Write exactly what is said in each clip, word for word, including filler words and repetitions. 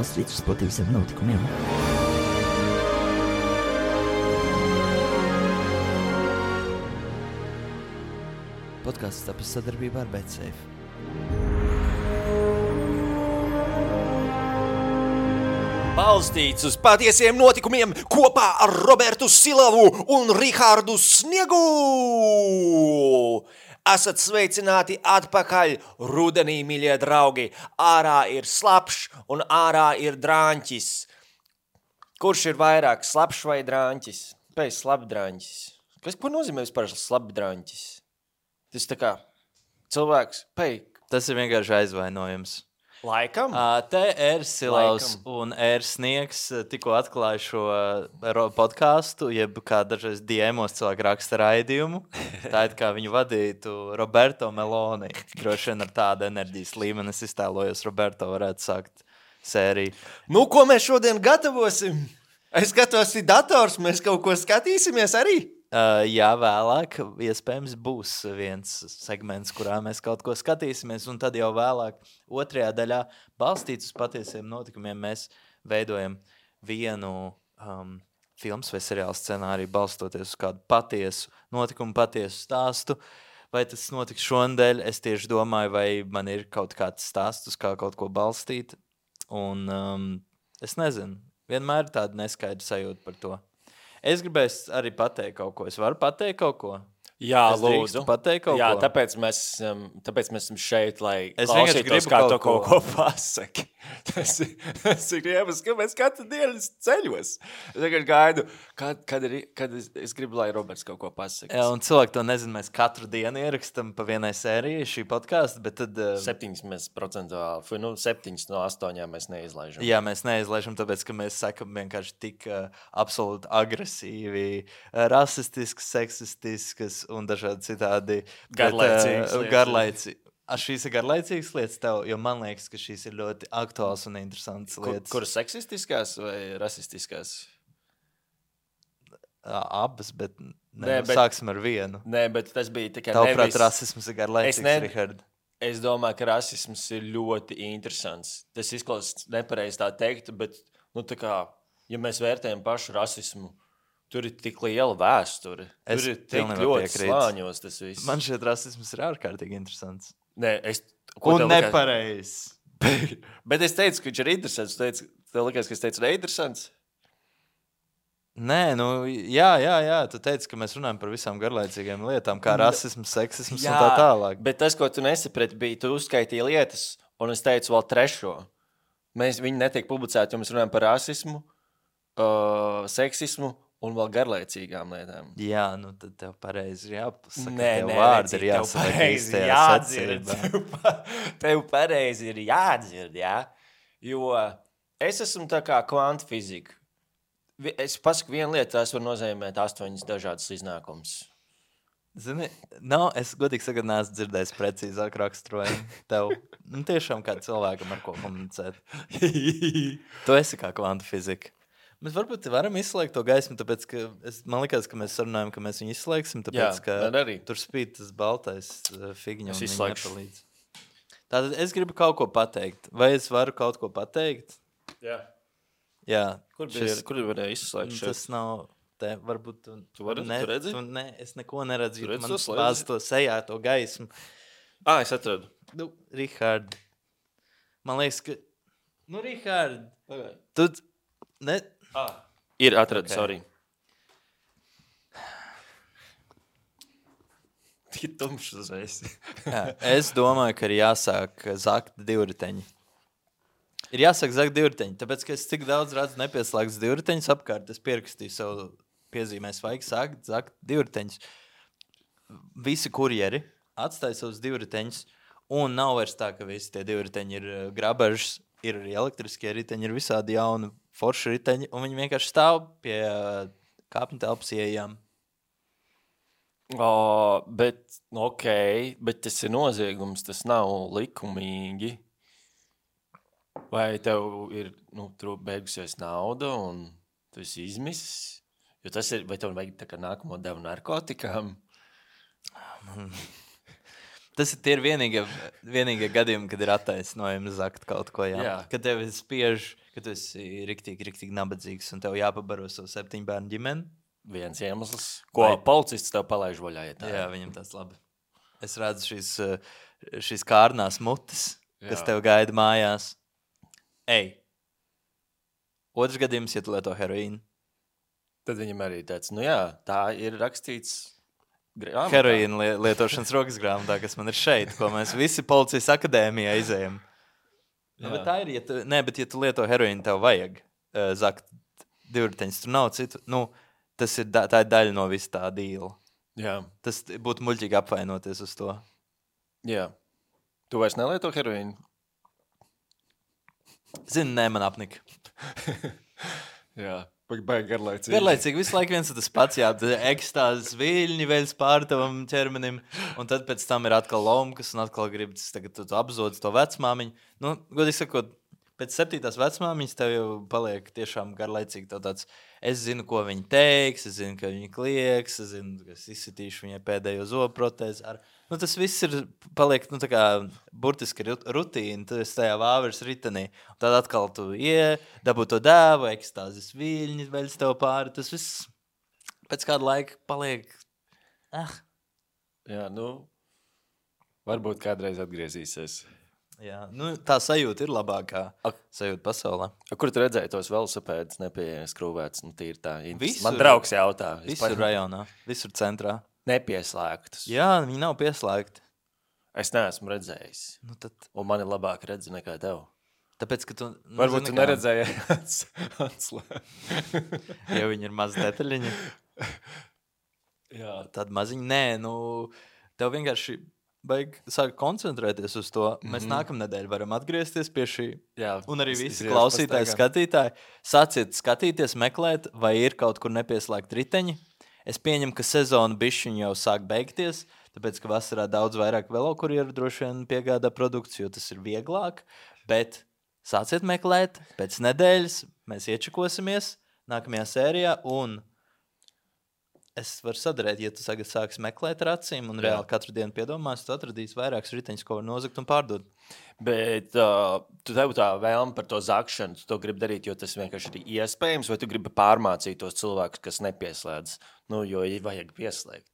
balstīts uz patiesiem notikumiem. Podcasts tapis sadarbībā ar BetSafe. Balstīts uz patiesiem notikumiem kopā ar Robertu Silavu un Rihardu Sniegu! Esat sveicināti atpakaļ rudenī, mīļie draugi. Ārā ir slapšs un ārā ir drāņķis. Kurš ir vairāk, slapšs vai drāņķis? Pēc slapdrāņķis. Kas, ko nozīmē vispār slapdrāņķis? Tas tā kā cilvēks, pēc... Tas ir vienkārši aizvainojums. Laikam? Uh, te ir Silavs Laikam. un ir Sniegs tikko atklāja šo uh, podcastu, jeb kā dažreiz D M-os cilvēki raksta raidījumu. Tā ir kā viņu vadītu Roberto Meloni. Droši vien ar tādu enerģijas līmeni es iztēlojos, Roberto varētu sākt sēriju. Nu, ko mēs šodien gatavosim? Es skatos, ir dators, mēs kaut ko skatīsimies arī? Uh, jā, vēlāk iespējams būs viens segments, kurā mēs kaut ko skatīsimies, un tad jau vēlāk otrajā daļā balstīts uz patiesiem notikumiem mēs veidojam vienu um, filmas vai seriālu scenāriju balstoties uz kādu patiesu notikumu, patiesu stāstu. Vai tas notiks šonadēļ? Es tieši domāju, vai man ir kaut kāds stāsts, uz kā kaut ko balstīt, un um, es nezinu, vienmēr ir tāda neskaidra sajūta par to. Es gribēju arī pateikt kaut ko. Es varu pateikt kaut ko? Jā, es lūdzu. Pateikt kaut Jā, ko? tāpēc mēs, um, tāpēc mēs esam šeit, lai Es klausītos, kā kaut to kaut ko. ko pasaki. Tas ir, tas ir iemesls, ka mēs katru dienu ceļos. Es tagad gaidu, kad, kad, ir, kad es, es gribu, lai Roberts kaut ko pasaka. Jā, un cilvēki to nezina. Mēs katru dienu ierakstam pa vienai sērijai šī podkāsta, bet tad... Uh, Septiņas mēs procentuāli, nu, septiņas no astoņām mēs neizlaižam. Jā, mēs neizlaižam, tāpēc, ka mēs sakam vienkārši tik uh, absolūti agresīvi, uh, rasistiskas, seksistiskas un dažādi citādi. Garlaicīgas lietas. Garlaicīgi. A, šīs ir garlaicīgas lietas tev, jo man liekas, ka šīs ir ļoti aktuāls un interesants Kur, lietas. kuras seksistiskās vai rasistiskās? Uh, abas, bet, ne, Nē, nu, bet- sāksim ar vienu. Nē, bet tas bija tikai Tavuprāt, nevis... rasisms ir garlaicīgs, Es ne- Richard? Es domāju, ka rasisms ir ļoti interesants. Tas izklausās nepareizi tā teikt, bet, nu, tā kā, ja mēs vērtējam pašu rasismu, tur ir tik liela vēsture. Es Tur ir tik pilnībā ļoti piekrītu. slāņos tas viss. Man šķiet, rasisms ir ārkārtīgi interesants. Nē, es... ko Un tev likās? nepareizs. Bet es teicu, ka viņš ir interesants. Tu teici, tev likās, ka es teicu neinteresants? Nē, nu, jā, jā, jā, tu teici, ka mēs runājam par visām garlaicīgām lietām, kā rasisms, seksisms un tā tālāk. Bet tas, ko tu nesaprati, bija, tu uzskaitīji lietas, un es teicu vēl trešo. Mēs, viņi netiek publicēti, jo mēs runājam par rasismu, uh, seksismu un vēl garlaicīgām lietām. Jā, nu tad tev pareizi ir jāpasaka. Nē, tev nē, vārdi redzi, ir tev jāsaka pareizi īstajā jādzird. secībā. Tev pa- Tev pareizi ir jādzird, jā? Jo es esmu tā kā kvantfizika. Vi- Es pasaku vienu lietu, tās var nozīmēt astoņas dažādas iznākumus. Zini, nav, es godīgi sakot, neesmu dzirdējis precīzāk raksturojumu tev. Nu, tiešām kā cilvēkam ar ko komunicēt. Tu esi kā kvantu fizika. Mēs varbūt varam izslēgt to gaismu, tāpēc, ka es, man likās, ka mēs sarunājam, ka mēs viņu izslēgsim, tāpēc, Jā, ka man arī. tur spīd tas baltais uh, figiņu Es un viņi izslēgšu. nepalīdz. Tātad es gribu kaut ko pateikt. Vai es varu kaut ko pateikt? Jā. Jā. Kur bija, šis- kur varēja izslēgt šeit? Tas nav te, varbūt tu, Tu vari- ne, tu redzi? Tu, ne, es neko neredzu, Tu jo redzi man to slēdzi? bāz to sejā, to gaismu. Ā, es atradu. Nu, Rihard, man liekas, ka... Nu, Rihard, Pagaid. tu... Ne... Ā, ir atradu, Ok. sorry. Tik tumšs uzreiz. Jā, es domāju, ka ir jāsāk zakt divriteņi. Ir jāsāk zakt divriteņi, tāpēc, ka es tik daudz redzu nepieslēgts divriteņus apkārt, es pierakstīju savu piezīmēs, vajag sākt zakt divriteņus. Visi kurjeri atstāja savus divriteņus, un nav vairs tā, ka visi tie divriteņi ir uh, grabažas, ir arī elektriskie riteņi, ir visādi jauni forši riteņi, un viņi vienkārši stāv pie uh, kāpņu telpas ieejām. O, bet, nu, ok, bet tas ir noziegums, tas nav likumīgi. Vai tev ir, nu, tur beigusies nauda un tu esi izmisis? Jo tas ir, vai tev vajag tā kā nākamo devu narkotikām? Tas ir tie ir vienīgie, vienīgie gadījumi, kad ir attaisnojumi zakt kaut ko. Jā. Jā. Kad tev ir spiež, kad tu esi riktīgi, riktīgi nabadzīgs un tev jāpabaro savu septiņu bērnu ģimeni. Viens iemesls, ko Vai- policists tev palaiž vaļā. Ja tā Jā, ir. viņam tas labi. Es redzu šīs, uh, šīs kārnās mutes, kas Jā. tev gaida mājās. Ej! Otrs gadījums, ja tu lieto heroīnu. Tad viņam arī tāds, nu jā, tā ir rakstīts grāmatā. Heroīna li lietošanas rokas grāmatā, kas man ir šeit, ko mēs visi policijas akadēmijā izējam. Nu, Jā. bet tā ir, ja tu, nē, bet ja tu lieto heroīnu, tev vajag uh, zakt divriteņus, tur nav citu. Nu, tas ir, da tā ir daļa no visa tā dīla. Jā, Tas t- būtu muļķīgi apvainoties uz to. jā. Tu vairs nelieto heroīnu? Zini, nē, man apnika. Jā, baigi garlaicīgi. Garlaicīgi visu laiku viens un tas pats, jā, ekstāzes viļņi veļas pār tavam ķermenim, un tad pēc tam ir atkal lomkas, un atkal gribas tagad tu, tu apzodz to vecmāmiņu. Nu, godīgi sakot, pēc septītās vecmāmiņas tev jau paliek tiešām garlaicīgi tev tāds, es zinu, ko viņi teiks, es zinu, ka viņi klieks, es zinu, ka es izsitīšu viņai pēdējo zobu protēzi. Ar... Nu, tas viss ir, paliek, nu, tā kā burtiski rut- rutīna, tu esi tajā vāveres ritenī, un tad atkal tu ie, dabū to dēvu, ekstāzes viļņi veļas tev pāri, tas viss pēc kāda laika paliek, ah, Jā, nu, varbūt kādreiz atgriezīsies. jā, nu, tā sajūta ir labākā Ak. sajūta pasaulē. A, kur tu redzēji tos velosipēdus nepiekrūvēts? Nu, tīri tā. Visur. Man draugs jautā. Visur rajonā, visur centrā. Nepieslēgtus. Jā, viņi nav pieslēgti. Es neesmu redzējis. Nu, tad, Un man ir labāk redzi nekā tev. tāpēc, ka tu... Nu, Varbūt tu zini kā, neredzēji atslēgu. Ja viņi ir maz detaļiņi, Jā. tad maziņi. Nē, nu, tev vienkārši vajag sākt koncentrēties uz to. Mēs Mhm. nākamnedēļ varam atgriezties pie šī. Jā. Un arī Es- visi es klausītāji, pastaigā. skatītāji, sāciet skatīties, meklēt, vai ir kaut kur nepieslēgt riteņi. Es pieņemu, ka sezona bišķiņ jau sāk beigties, tāpēc, ka vasarā daudz vairāk velokurieru droši vien piegādā produkciju, jo tas ir vieglāk, bet sāciet meklēt, pēc nedēļas mēs iečakosimies nākamajā sērijā, un es varu sadarēt, ja tu tagad sāksi meklēt ar acīm un Jā. reāli katru dienu piedomās, tu atradīsi vairākus riteņus, ko var nozagt un pārdot. Bet uh, tu tev tā vēlme par to zakšanu, tu to gribi darīt, jo tas vienkārši ir iespējams, vai tu gribi pārmācīt tos cilvēkus, kas nepieslēdz? Nu, jo ir vajag pieslēgt.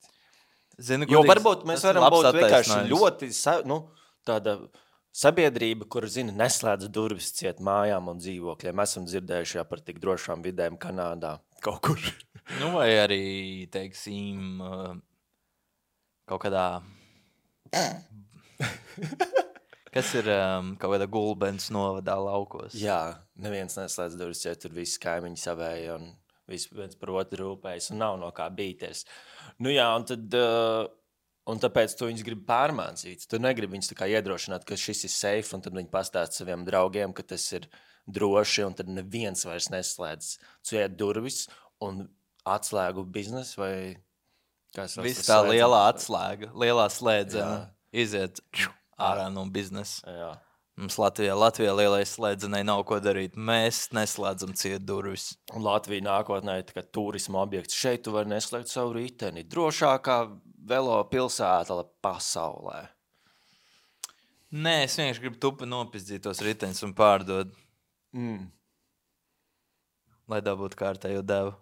Zini, Jo godīgs, varbūt mēs tas ir varam labs būt vienkārši attaisnojums. ļoti sa, nu, tāda sabiedrība, kur, zina, neslēdz durvis ciet mājām un dzīvokļiem. Mēs esam dzirdējuši jā, par tik drošām vidēm Kanādā kaut kur. Nu, vai arī, teiksim, uh, kaut kādā. Kas ir um, kaut kādā gulbens novadā laukos? Jā, neviens neslēdz durvis ciet, tur visi kaimiņi savēji un visi viens par otru rūpējas un nav no kā bīties. Nu jā, un tad... Uh, Un tāpēc tu viņus gribi pārmācīt. Tu negribi viņus tā kā iedrošināt, ka šis ir safe, un tad viņi pastāst saviem draugiem, ka tas ir droši, un tad neviens vairs neslēdz ciet durvis un atslēgu biznesu vai kā sauc Viss tas tā slēdzam? lielā atslēga, lielā slēdzena Jā. iziet ārā no biznesa. Jā. Mums Latvijā, Latvijā lielais slēdzenei nav ko darīt. Mēs neslēdzam ciet durvis. Un Latvija nākotnē ir tā kā turisma objekts. Šeit tu vari neslēgt savu riteni. Drošākā velo pilsēta pasaulē. Nē, es vienkārši gribu tupi nopizdīt tos riteņus un pārdot, Mm. lai dabūtu kārtējo devu.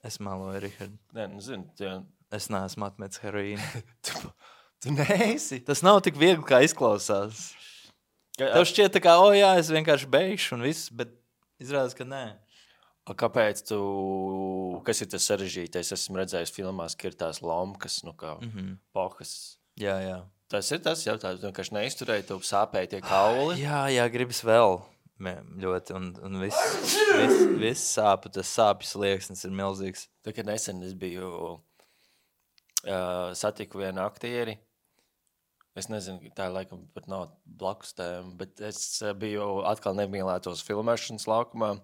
Es meloju, Rihard. Nē, nu zini, tie, Es neesmu atmetis heroīnu. tu, tu neesi. Tas nav tik viegli, kā izklausās. Ka- Tev šķiet, tā kā, o jā, es vienkārši beigšu un viss, bet izrādās, ka nē. A, kāpēc tu, kas ir tas sarežģītais? Es esmu redzējis filmās, ka ir tās lomkas, nu kā Mm -hmm. pohas. Jā, jā. Tas ir tas jautājums, tu vienkārši neizturēji, tu sāpēji tie kauli. Jā, jā, gribas vēl mē- ļoti, un, un viss vis, vis sāp, tas sāpju slieksnis ir milzīgs. Tā kā nesen es biju, uh, satiku vienu aktieri, es nezinu, tā laikam pat nav blakus tēma, bet es uh, biju atkal nemīlētos filmēšanas laukumā,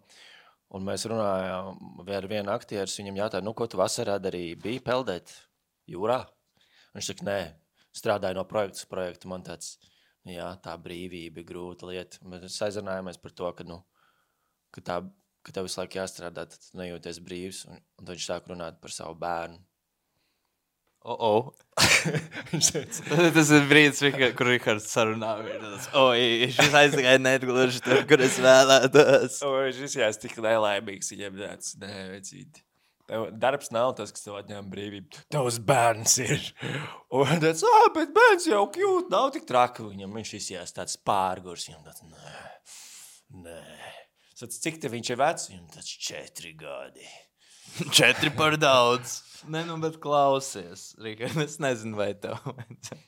un mēs runājām ar vienu aktieru, viņam jautāja, nu, ko tu vasarā darīji, bija peldēt jūrā? Un viņš saka, nē, strādāju no projekta uz projektu, man tāds, jā, tā brīvība ir grūta lieta. Mēs aizrunājāmies par to, ka, nu, ka, tā, ka tev visu laiku jāstrādā, tad tu nejūties brīvs, un, un tad viņš sāk runāt par savu bērnu. O, o. Viņš teica, Tas ir brīdis, Rika- kur Rihards sarunā. ir tāds, Oi, šis aizgāja netgluži tur, kur es vēlētos. o, viņš izjās tik nelaimīgs, viņam tāds, nē, vecīti. Tev darbs nav tas, kas tev atņem brīvību. Tavs bērns ir. Un tāds, ā, bet bērns jau kļūt, nav tik traki. Viņam viņš izjās tāds pārgurs. Viņam tāds, nē, nē. Sats, cik te viņš ir vecs? Viņam tāds četri gadi. Četri par daudz. Nē, nu, bet klausies, Rika, es nezinu, vai tev vajadzētu.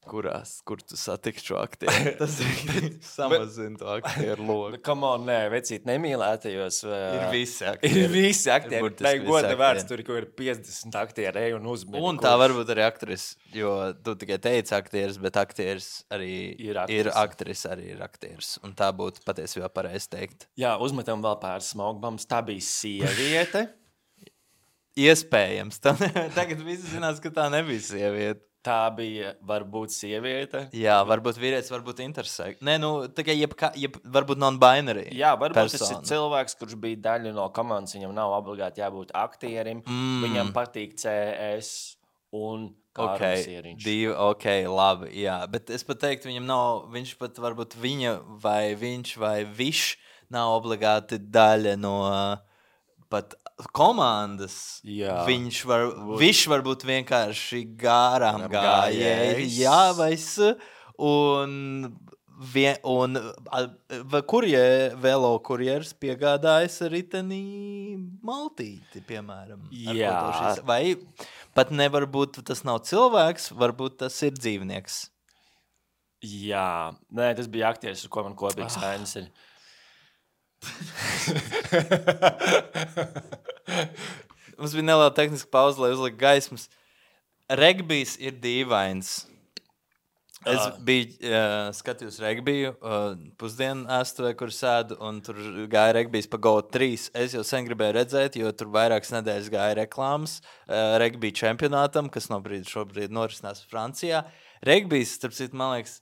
Kurās, kur tu satiksi šo aktieru? Tas ir samazina to aktieru loku. Come on, nē, vecīt, nemīlētajos. Ir visi aktieri. Ir visi aktieri. burtiski Nē, visi goda vērts, aktieri. tur ir kaut ir piecdesmit aktieri, ej un uzmini. Un tā varbūt arī aktris, jo tu tikai teici aktieris, bet aktieris arī Ir aktrise. ir aktris, arī ir aktieris. Un tā būtu patiesībā pareizi teikt. Jā, uzmetam vēl pāris smogbams. Tā bija sieviete. Iespējams. Tā, tagad visi zinās, ka tā nebija sieviete. Tā bija varbūt sieviete. Jā, varbūt vīrietis, varbūt intersex. Nē, nu, tikai jebkā, jeb, varbūt non-binary. Jā, varbūt tas ir persona. cilvēks, kurš bija daļa no komandas. Viņam nav obligāti jābūt aktierim. Mm. Viņam patīk C S un Ok, Kārlis. divi, ok, labi, jā. Bet es pat teiktu, viņam nav, viņš pat varbūt viņa vai viņš vai viņš nav obligāti daļa no pat komandas. Jā. Viņš var, viņš var būt vienkārši garām gājējs. Gājējs. Jā, vai s. Un, vien, un a- va- kurje, velo kurjers piegādājas ritenī maltīti, piemēram. ar Jā. ko to šis- Vai pat nevar būt, tas nav cilvēks, varbūt tas ir dzīvnieks. Jā, nē, tas bija aktieris, ar ko man kopīgs Ah. ainas ir. Mums bija neliela tehniska pauze, lai uzliktu gaismas. Regbijs ir dīvains. Es Ah. biju uh, skatījis regbiju uh, pusdienu ēstuvē, kur sēdu, un tur gāja regbijs pa Go trīs. Es jau sen gribēju redzēt, jo tur vairākas nedēļas gāja reklāmas uh, regbija čempionātam, kas no brīdi šobrīd norisinās Francijā. Regbijs, starp citu, man liekas,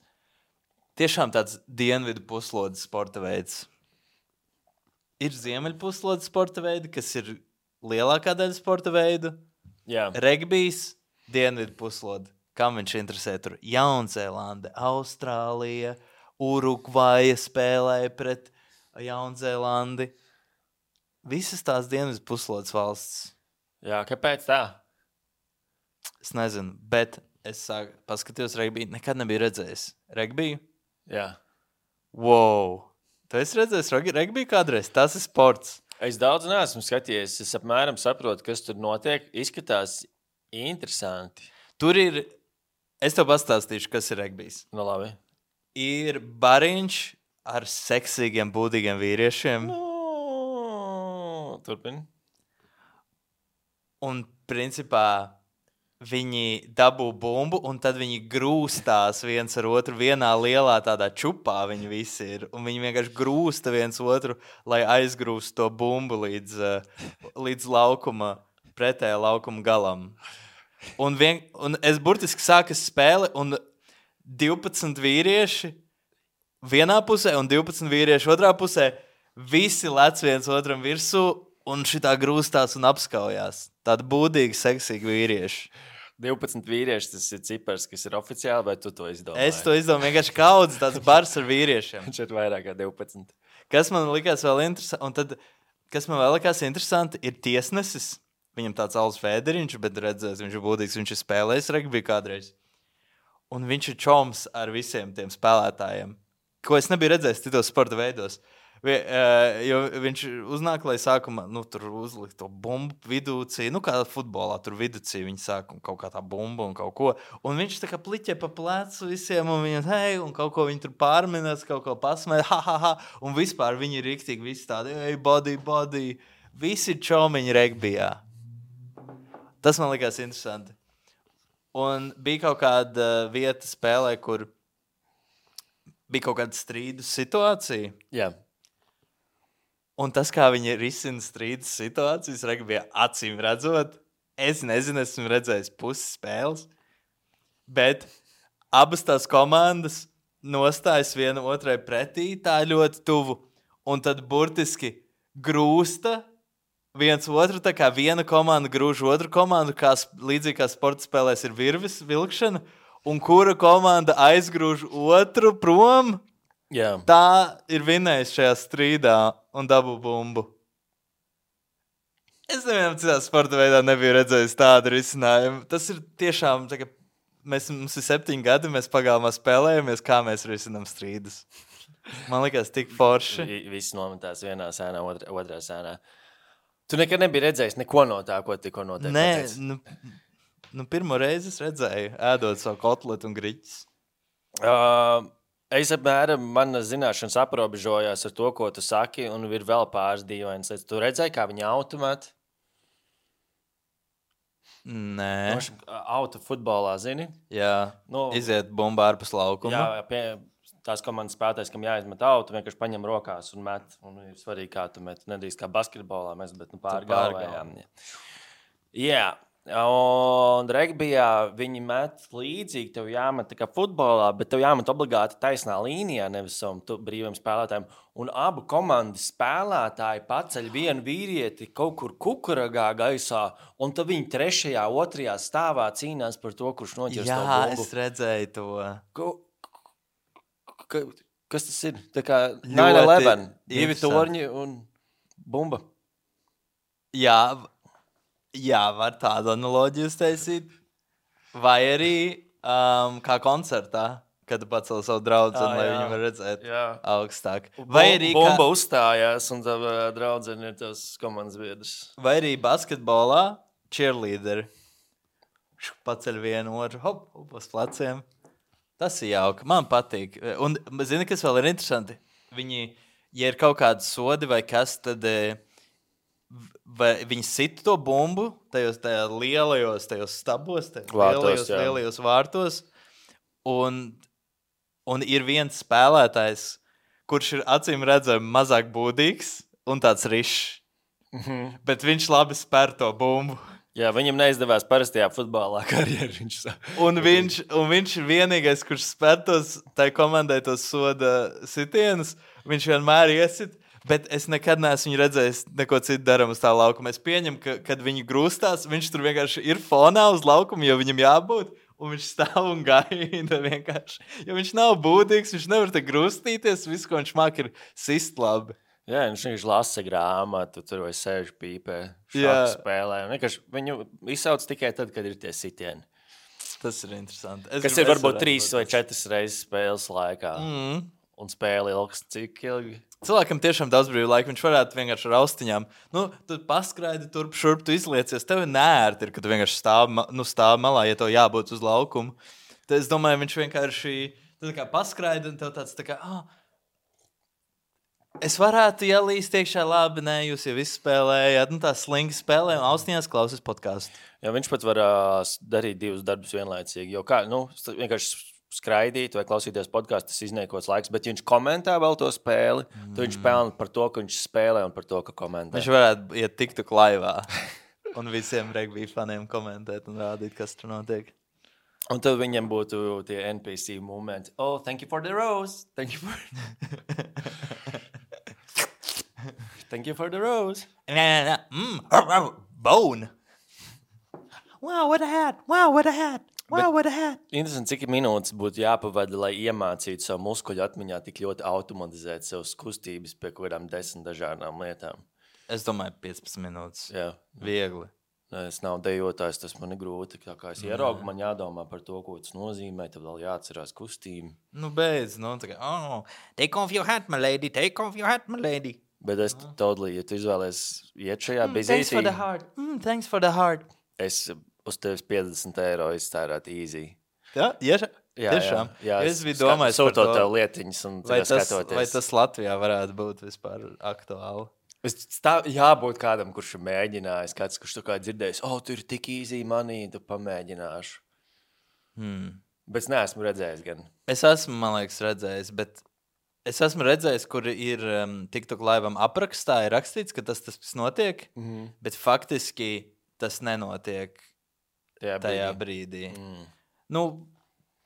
tiešām tāds dienvidu puslodes sporta veids. Ir ziemeļpuslodes sporta veidi, kas ir lielākā daļa sporta veidu. Jā, Regbijs, dienvidu puslode. Kam viņš interesē? Tur Jaunzēlande, Austrālija, Urugvaja spēlēja pret Jaunzēlandi. Visas tās dienvidu puslodes valsts. jā, kāpēc tā? Es nezinu, bet es sāku, paskatījos regbiju. Nekad nebiju redzējis regbiju. Jā. Wow! Tu esi redzējis reg- regbiju kādreiz? Tas ir sports. Es daudz neesmu skatījies. Es apmēram saprotu, kas tur notiek. Izskatās interesanti. Tur ir, es tev pastāstīšu, kas ir regbijs. Nu, labi. Ir bariņš ar seksīgiem, būdīgiem vīriešiem. Nu, turpini. Un, principā, viņi dabū bumbu, un tad viņi grūstās viens ar otru vienā lielā tādā čupā. Viņi visi ir. Un viņi vienkārši grūsta viens otru, lai aizgrūstu to bumbu līdz, eh, līdz laukuma, pretējā laukuma galam. Un, vien, un es burtiski sāku spēli, un divpadsmit vīrieši vienā pusē, un divpadsmit vīrieši otrā pusē. Visi lec viens otram virsū, un šitā grūstās un apskaujās. Tādi būdīgi, seksīgi vīrieši. divpadsmit vīrieši, tas ir cipars, kas ir oficiāli, vai tu to izdomāji? Es to izdomāju vienkārši kaudzes, tāds bars ar vīriešiem. Viņš ir vairāk kā divpadsmit. Kas man likās vēl interesanti, un tad, kas man vēl likās interesanti, ir tiesnesis. Viņam tāds Alus Fēderiņš, bet redzēs, viņš ir būdīgs, viņš ir spēlējis regbiju kādreiz. Un viņš ir čoms ar visiem tiem spēlētājiem, ko es nebiju redzējis citos sporta veidos. Vi, uh, jo viņš uznāk, lai sākumā nu, tur uzlikt to bumbu vidūcī, nu kā futbolā tur vidūcī viņi sāk un kaut kā tā bumba un kaut ko. Un viņš tā kā pliķē pa plecu visiem un viņam, hei, un kaut ko viņi tur pārminās, kaut ko pasmēja, ha, ha, ha. Un vispār viņi ir riktīgi visi tādi, ej, body, body. Visi ir čomiņi regbijā. Tas man likās interesanti. Un bija kaut kāda vieta spēlē, kur bija kaut kāda strīdus situācija. Jā. Un tas, kā viņi risina strīdus situācijas, regbijā acīm redzot, es nezinu, esmu redzējis pusi spēles, bet abas tās komandas nostājas viena otrai pretī, tā ļoti tuvu, un tad burtiski grūsta viens otru, tā kā viena komanda grūž otru komandu, kā sp- līdzīgi kā sporta spēlēs ir virves vilkšana, un kura komanda aizgrūž otru prom, Jā. tā ir vinējis šajā strīdā un dabū bumbu. Es nevienam citā sporta veidā nebiju redzējis tādu risinājumu. Tas ir tiešām, tā, ka mēs, mums ir septiņi gadi, mēs pagalmā spēlējamies, kā mēs risinām strīdus. Man liekas, tik forši. Vi- Visi nometās vienā sēnā, otrā, otrā sēnā. Tu nekad nebija redzējis neko no tā, ko tikko noteikti Nē, pateici? nu, nu pirmo reizi es redzēju, ēdot savu kotletu un griķis. Uh, es apmēram, manas zināšanas aprobežojās ar to, ko tu saki, un ir vēl pāris dīvainas lietas. Tu redzēji, kā viņi automāti? Nē, Auto futbolā, zini? jā, Nu, iziet bumba ārpus laukuma. jā, pie, tās komandas spēlētājs, kam jāizmet auto, vienkārši paņem rokās un met. Un ir svarīgi, kā tu met. Nedrīkst kā basketbolā mēs, bet nu, pāri pāri galvējām. Jā, un regbijā viņi met līdzīgi. Tev jāmet tā kā futbolā, bet tev jāmet obligāti taisnā līnijā, nevis savam tu- brīviem spēlētājiem. Un abu komandas spēlētāji paceļ vienu vīrieti kaut kur kukuragā gaisā, un tad viņi trešajā, otrajā stāvā cīnās par to, kurš noķers to Jā, bumbu. es redzēju to. Ko, ka, kas tas ir? Tā kā nine eleven, divi interesanti. torņi un bumba. Jā, v- jā, var tādu analoģiju uztaisīt. Vai arī um, kā koncertā, kad tu pacēli savu draugu, Ā, lai jā. viņu var redzēt Jā. augstāk. Vai arī, bumba kā, uzstājās, un tā draudzene ir tās komandas biedrs. vai arī basketbolā cheerleaderi paceļ vienu otru, hop, hop, uz pleciem. Tas ir jauki. Man patīk. Un, zini, kas vēl ir interesanti? Viņi, ja ir kaut kādi sodi vai kas, tad eh, vai viņi sit to bumbu tajos tajā lielajos, tajos stabos, tajos Vārtos, lielajos, jā. lielajos vārtos. Un, un ir viens spēlētājs, kurš ir acīm redzami mazāk būdīgs un tāds rišs. Mhm. Bet viņš labi spēr to bumbu. Jā, viņam neizdevās parastajā futbolā karjeru. Viņš sa- Un viņš, un viņš ir vienīgais, kurš spēr tos, tai komandai tos soda sitienus. Viņš vienmēr iesit, bet es nekad neesmu viņu redzējis neko citu darām uz tā laukuma. Es pieņemu, ka, kad viņi grūstās, viņš tur vienkārši ir fonā uz laukuma, jo viņam jābūt. Un viņš stāv un gaida vienkārši. Jo viņš nav būdīgs, viņš nevar te grūstīties. Viss, ko viņš māk, ir sist labi. Jā, viņš vienkārši lasa grāmatu, tur vai sēž pīpē, Jā. šādi spēlē. Un vienkārši viņu izsauc tikai tad, kad ir tie sitieni. Tas ir interesanti. Es Kas grib- ir es varbūt varētu trīs būt vai tas. četras reizes spēles laikā. Mm. Un spēle ilgs cik ilgi? Cilvēkam tiešām daudz brīvā laika. Viņš varētu vienkārši ar austiņām. Nu, tu paskraidi turp, šurp, tu izliecies. Tev ir nērti, ir, ka tu vienkārši stāv, ma- nu, stāv malā, ja tev jābūt uz laukumu. Tad es domāju, viņš vienkārši tu tā kā paskraidi un tev tāds tā kā. Ah, es varētu ielīst iekšā, labi, nē, jūs jau visu spēlējāt. Nu, tā slinki spēlē un austiņās klausās podkāstu. Jā, viņš pat var uh, darīt divus darbus vienlaicīgi. Jo kā, nu, st- vienkārši skraidīt vai klausīties podkāstu, tas izniekots laiks. Bet ja viņš komentē vēl to spēli, mm. tad viņš pelna par to, ka viņš spēlē un par to, ka komentē. Viņš varētu iet tiktu laivā un visiem regbija faniem komentēt un rādīt, kas tur notiek. Un tad viņam būtu tie N P C momenti. Oh, thank you for the rose. Thank you for, thank you for the rose. Nē, nē, nē. Mm, ar, ar, bone. Wow, what a hat. Wow, what a hat. Wow, Bet- what a hat. Interesanti, cik minūtes būtu jāpavada, lai iemācītu savu muskuļu atmiņā tik ļoti automatizēt savas kustības pie kaut kādām desmit dažādām lietām. Es domāju, piecpadsmit minūtes. Jā. Viegli. Nē, es nav dejotājs, tas man ir grūti. Tā kā es ieraugu, man jādomā par to, ko tas nozīmē. Tad vēl jāatcerās kustība. Nu, beidz, nu, tā kā, oh, take off your hat, my lady, take off your hat, my lady. Bet es totally, ja tu izvēlies iet šajā Mm, thanks for the bizītī, heart. Mm, thanks for the heart. es uz tevis piecdesmit eiro iztērētu easy. Jā, ja, Jā, tiešām. jā, jā Es biju domājis par sūtot to. tev lietiņas un Vai tagad tas, skatoties. vai tas Latvijā varētu būt vispār aktuāli? Es stāv, jābūt kādam, kurš ir mēģinājis, kāds, kurš to kā dzirdējis, o, oh, tur ir tik easy money, tu pamēģināšu. Hmm. Bet es neesmu redzējis gan. Es esmu, man liekas, redzējis, bet es esmu redzējis, kur ir um, TikTok laivam aprakstā, ir rakstīts, ka tas tas notiek, Mhm. bet faktiski tas nenotiek Tajā tajā brīdī. brīdī. Mm. Nu,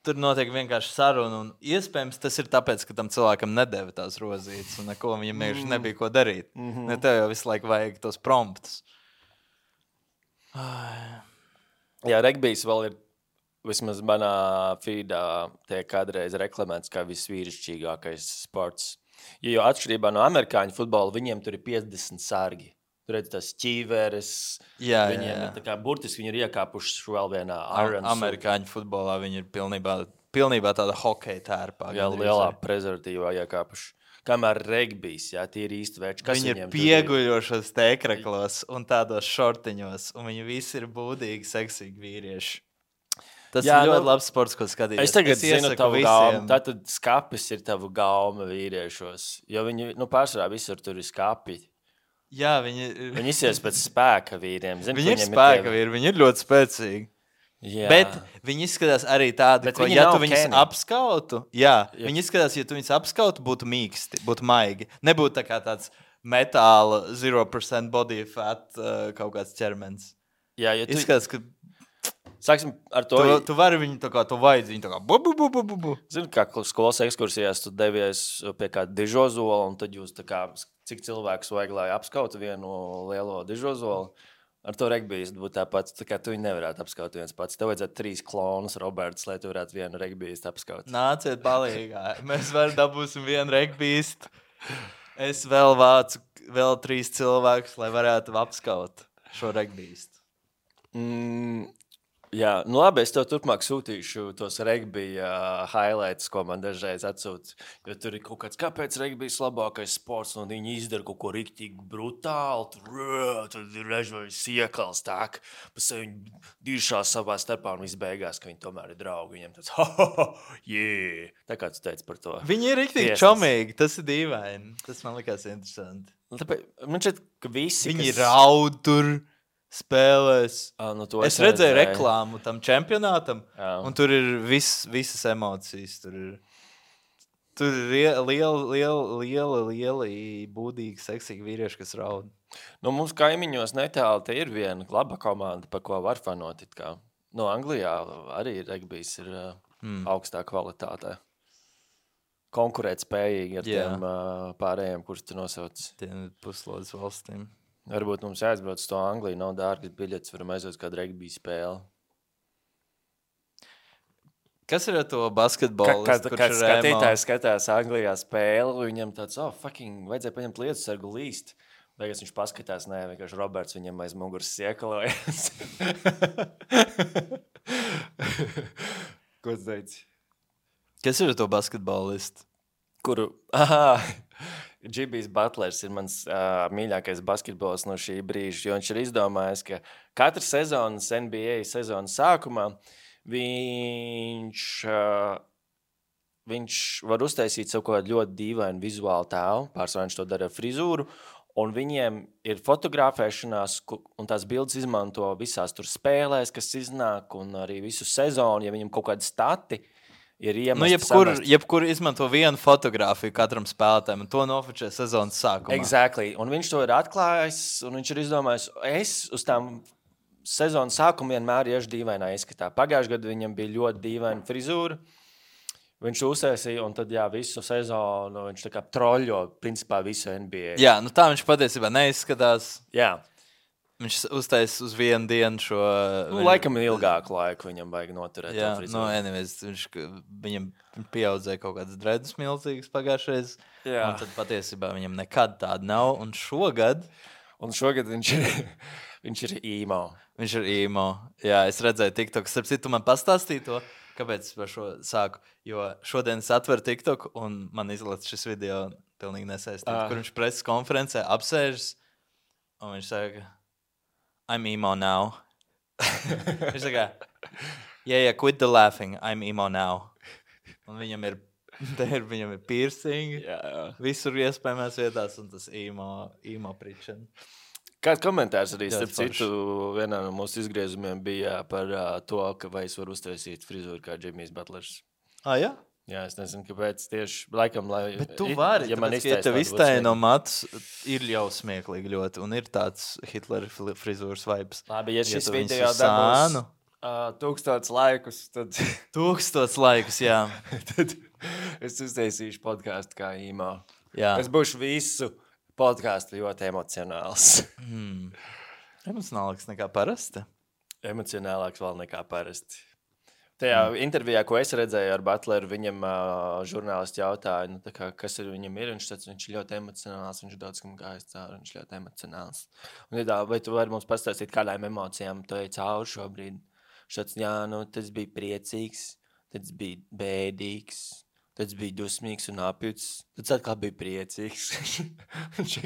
tur notiek vienkārši saruna, un iespējams tas ir tāpēc, ka tam cilvēkam nedēva tās rozītes, un neko viņam vienkārši nebija ko darīt. Mm-hmm. Ne tev jau visu laiku vajag tos promptus. Jā, regbijs vēl ir, vismaz manā feedā tiek kādreiz reklamēts kā visvīrišķīgākais sports. Ja jau atšķirībā no amerikāņu futbola, viņiem tur ir piecdesmit sargi. Tur redz tas ķīveres, jā, viņiem jā, jā. ir tā kā burtiski viņi ir iekāpuši vēl vienā Am- Amerikāņu futbolā viņi ir pilnībā, pilnībā tāda hokeja tērpā. Jā, lielā prezervatīvā iekāpuši. Kamēr regbijs, jā, tie ir īsti veči. Kas viņi ir pieguļošos tēkraklos un tādos šortiņos, un viņi visi ir būdīgi, seksīgi vīrieši. Tas jā, ir ļoti nu, labs sports, ko skatīties. Es tagad es zinu tavu gaumu. Tātad skapis ir tavu gauma vīriešos. Jo viņi, nu, pārsvarā visur tur ir skapi. Jā, viņi... Viņi izsies pēc spēka vīriem. Zin, viņi ir spēka vīri, viņi ir ļoti spēcīgi. Jā. Bet viņi izskatās arī tādi, ko, ja tu viņus Kenny. apskautu, jā, jā, viņi izskatās, ja tu viņus apskautu, būtu mīksti, būtu maigi. Nebūtu tā kā tāds metāla zero percent body fat uh, kaut kāds ķermenis. Jā, ja tu... Izskatās, ka... Sāksim ar to... Tu, tu vari viņu tā kā, tu vajadzi viņu tā kā bu, bu, bu, bu, bu. Zinu, kā skolas ekskursijās tu devies pie kāda dižozola, un tad jūs tā kā, cik cilvēks vajag, lai apskautu vienu lielo dižozolu. Ar to regbijs būtu tāpat, tā kā tu viņu nevarētu apskaut viens pats. Tev vajadzētu trīs klonus, Roberts, lai tu varētu vienu regbijistu apskaut. Nāciet palīgā. Mēs varam dabūsim vienu regbijistu. Es vēl vācu vēl trīs cilvēkus, lai varētu apskaut šo regbijistu. Mm, jā, nu labi, es tev turpmāk sūtīšu tos regbija uh, highlights, ko man dažreiz atsūt. Jo tur ir kaut kāds, kāpēc regbijs labākais sports, un viņi izdara kaut ko riktīgi brutāli. Tur, tur ir režojas iekals tā, pēc viņi diršās savā starpā un viss beigās, ka viņi tomēr ir draugi. Viņiem tāds, ha, ha, ha, yeah. Tā kā tu teici par to. Viņi ir riktīgi čomīgi, tas ir dīvaini. Tas man likās interesanti. Tāpēc, man šķiet, ka visi, viņi kas... raud tur. Spēlēs. Ah, nu es, es redzēju redzēju reklāmu tam čempionātam, jā. Un tur ir vis, visas emocijas. Tur ir, tur ir lieli, lieli, lieli, lieli, būdīgi, seksīgi vīrieši, kas raud. Nu, mums kaimiņos netāli te ir viena laba komanda, pa ko var fanot. Kā. Nu, Anglijā arī regbijs ir mm. augstā kvalitātē. Konkurēt spējīgi ar jā. Tiem uh, pārējiem, kurus tu nosauc. Tiem puslodes valstīm. Varbūt mums jāizbrauc uz to Angliju, nav dārgas biļetes, varam aizvot kādu regbija spēli. Kas ir ar to basketbolu? Kā, kā skatītājs skatās Anglijā spēli, viņam tāds, oh, fucking, vajadzēja paņemt lietas sargu līst. Beigās viņš paskatās, nē, vienkārši Roberts viņam aiz muguras iekalojas. Ko tu teici? Kas ir ar to basketbolistu? Kuru? Aha! Džibijs Butlers ir mans uh, mīļākais basketbols no šī brīža, jo viņš ir izdomājis, ka katru sezonas N B A sezonas sākumā viņš, uh, viņš var uztaisīt savu kaut kādu ļoti dīvainu vizuālu tēlu, pārsvarā viņš to dara ar frizūru, un viņiem ir fotografēšanās, un tās bildes izmanto visās tur spēlēs, kas iznāk, un arī visu sezonu, ja viņam kaut kādi stati, ir iemest, nu, jebkur, jebkur izmanto vienu fotogrāfiju katram spēlētājam, un to nofočē sezonas sākumā. Exactly. Un viņš to ir atklājis, un viņš ir izdomājis, es uz tām sezonas sākumu vienmēr iešu dīvainā izskatā. Pagājušajā gadā viņam bija ļoti dīvaina frizūra. Viņš uzsēsīja, un tad, jā, visu sezonu viņš tā kā troļļo, principā, visu N B A. Jā, nu tā viņš patiesībā neizskatās. Jā. Viņš uztais uz vienu dienu šo... Nu, viņu... laikam ilgāku laiku viņam vajag noturēt. Jā, nu, anyways, viņš, viņam pieaudzēja kaut kādas dredus milzīgas pagājušreiz, jā. Un tad patiesībā viņam nekad tāda nav, un šogad... Un šogad viņš ir, viņš ir emo. Viņš ir emo. Jā, es redzēju TikTok. Starp citu, man pastāstīja to, kāpēc par šo sāku, jo šodien es atveru TikTok, un man izlaiž šis video pilnīgi nesaistīt, ah. kur viņš preses konferencē apsēžas, un viņš saka... I'm emo now. Viņš saka, yeah, yeah, quit the laughing, I'm emo now. Un viņam ir, ir, viņam ir piercing, jā, jā. Visur iespējamās vietās, un tas emo, emo pričana. Kāds komentārs arī, starp citu, vienā no mūsu izgriezumiem bija par uh, to, ka vai es varu uztaisīt frizūru kā Džimijs Butlers. Ah, jā? Jā, es nezinu, kāpēc tieši laikam, lai... Bet tu vari, ja tāpēc, ka ja tev iztaino matus, ir jau smieklīgi ļoti, un ir tāds Hitler frizūras vibes. Labi, ja šis ja video dabūs Uh, tūkstots laikus, tad, Tūkstots laikus, jā. tad es uztaisīšu podkāstu kā īmā. jā. Es būšu visu podkāstu ļoti emocionāls. Mm. Emocionālāks nekā parasti. Emocionālāks vēl nekā parasti. Tajā mm. intervijā, ko es redzēju ar Butleru, viņam uh, žurnālisti jautāja, nu, kā, kas ar viņam ir. Viņš teica, viņš ir ļoti emocionāls, viņš ir daudz kam gājis cauri, viņš ir ļoti emocionāls. Un, ja tā, vai tu vari mums pastāstīt, kādām emocijām tu ej cauri šobrīd? Viņš teica, jā, nu, tas bija priecīgs, tas bija bēdīgs, tas bija dusmīgs un apjuts, tas atkal bija priecīgs. viņš,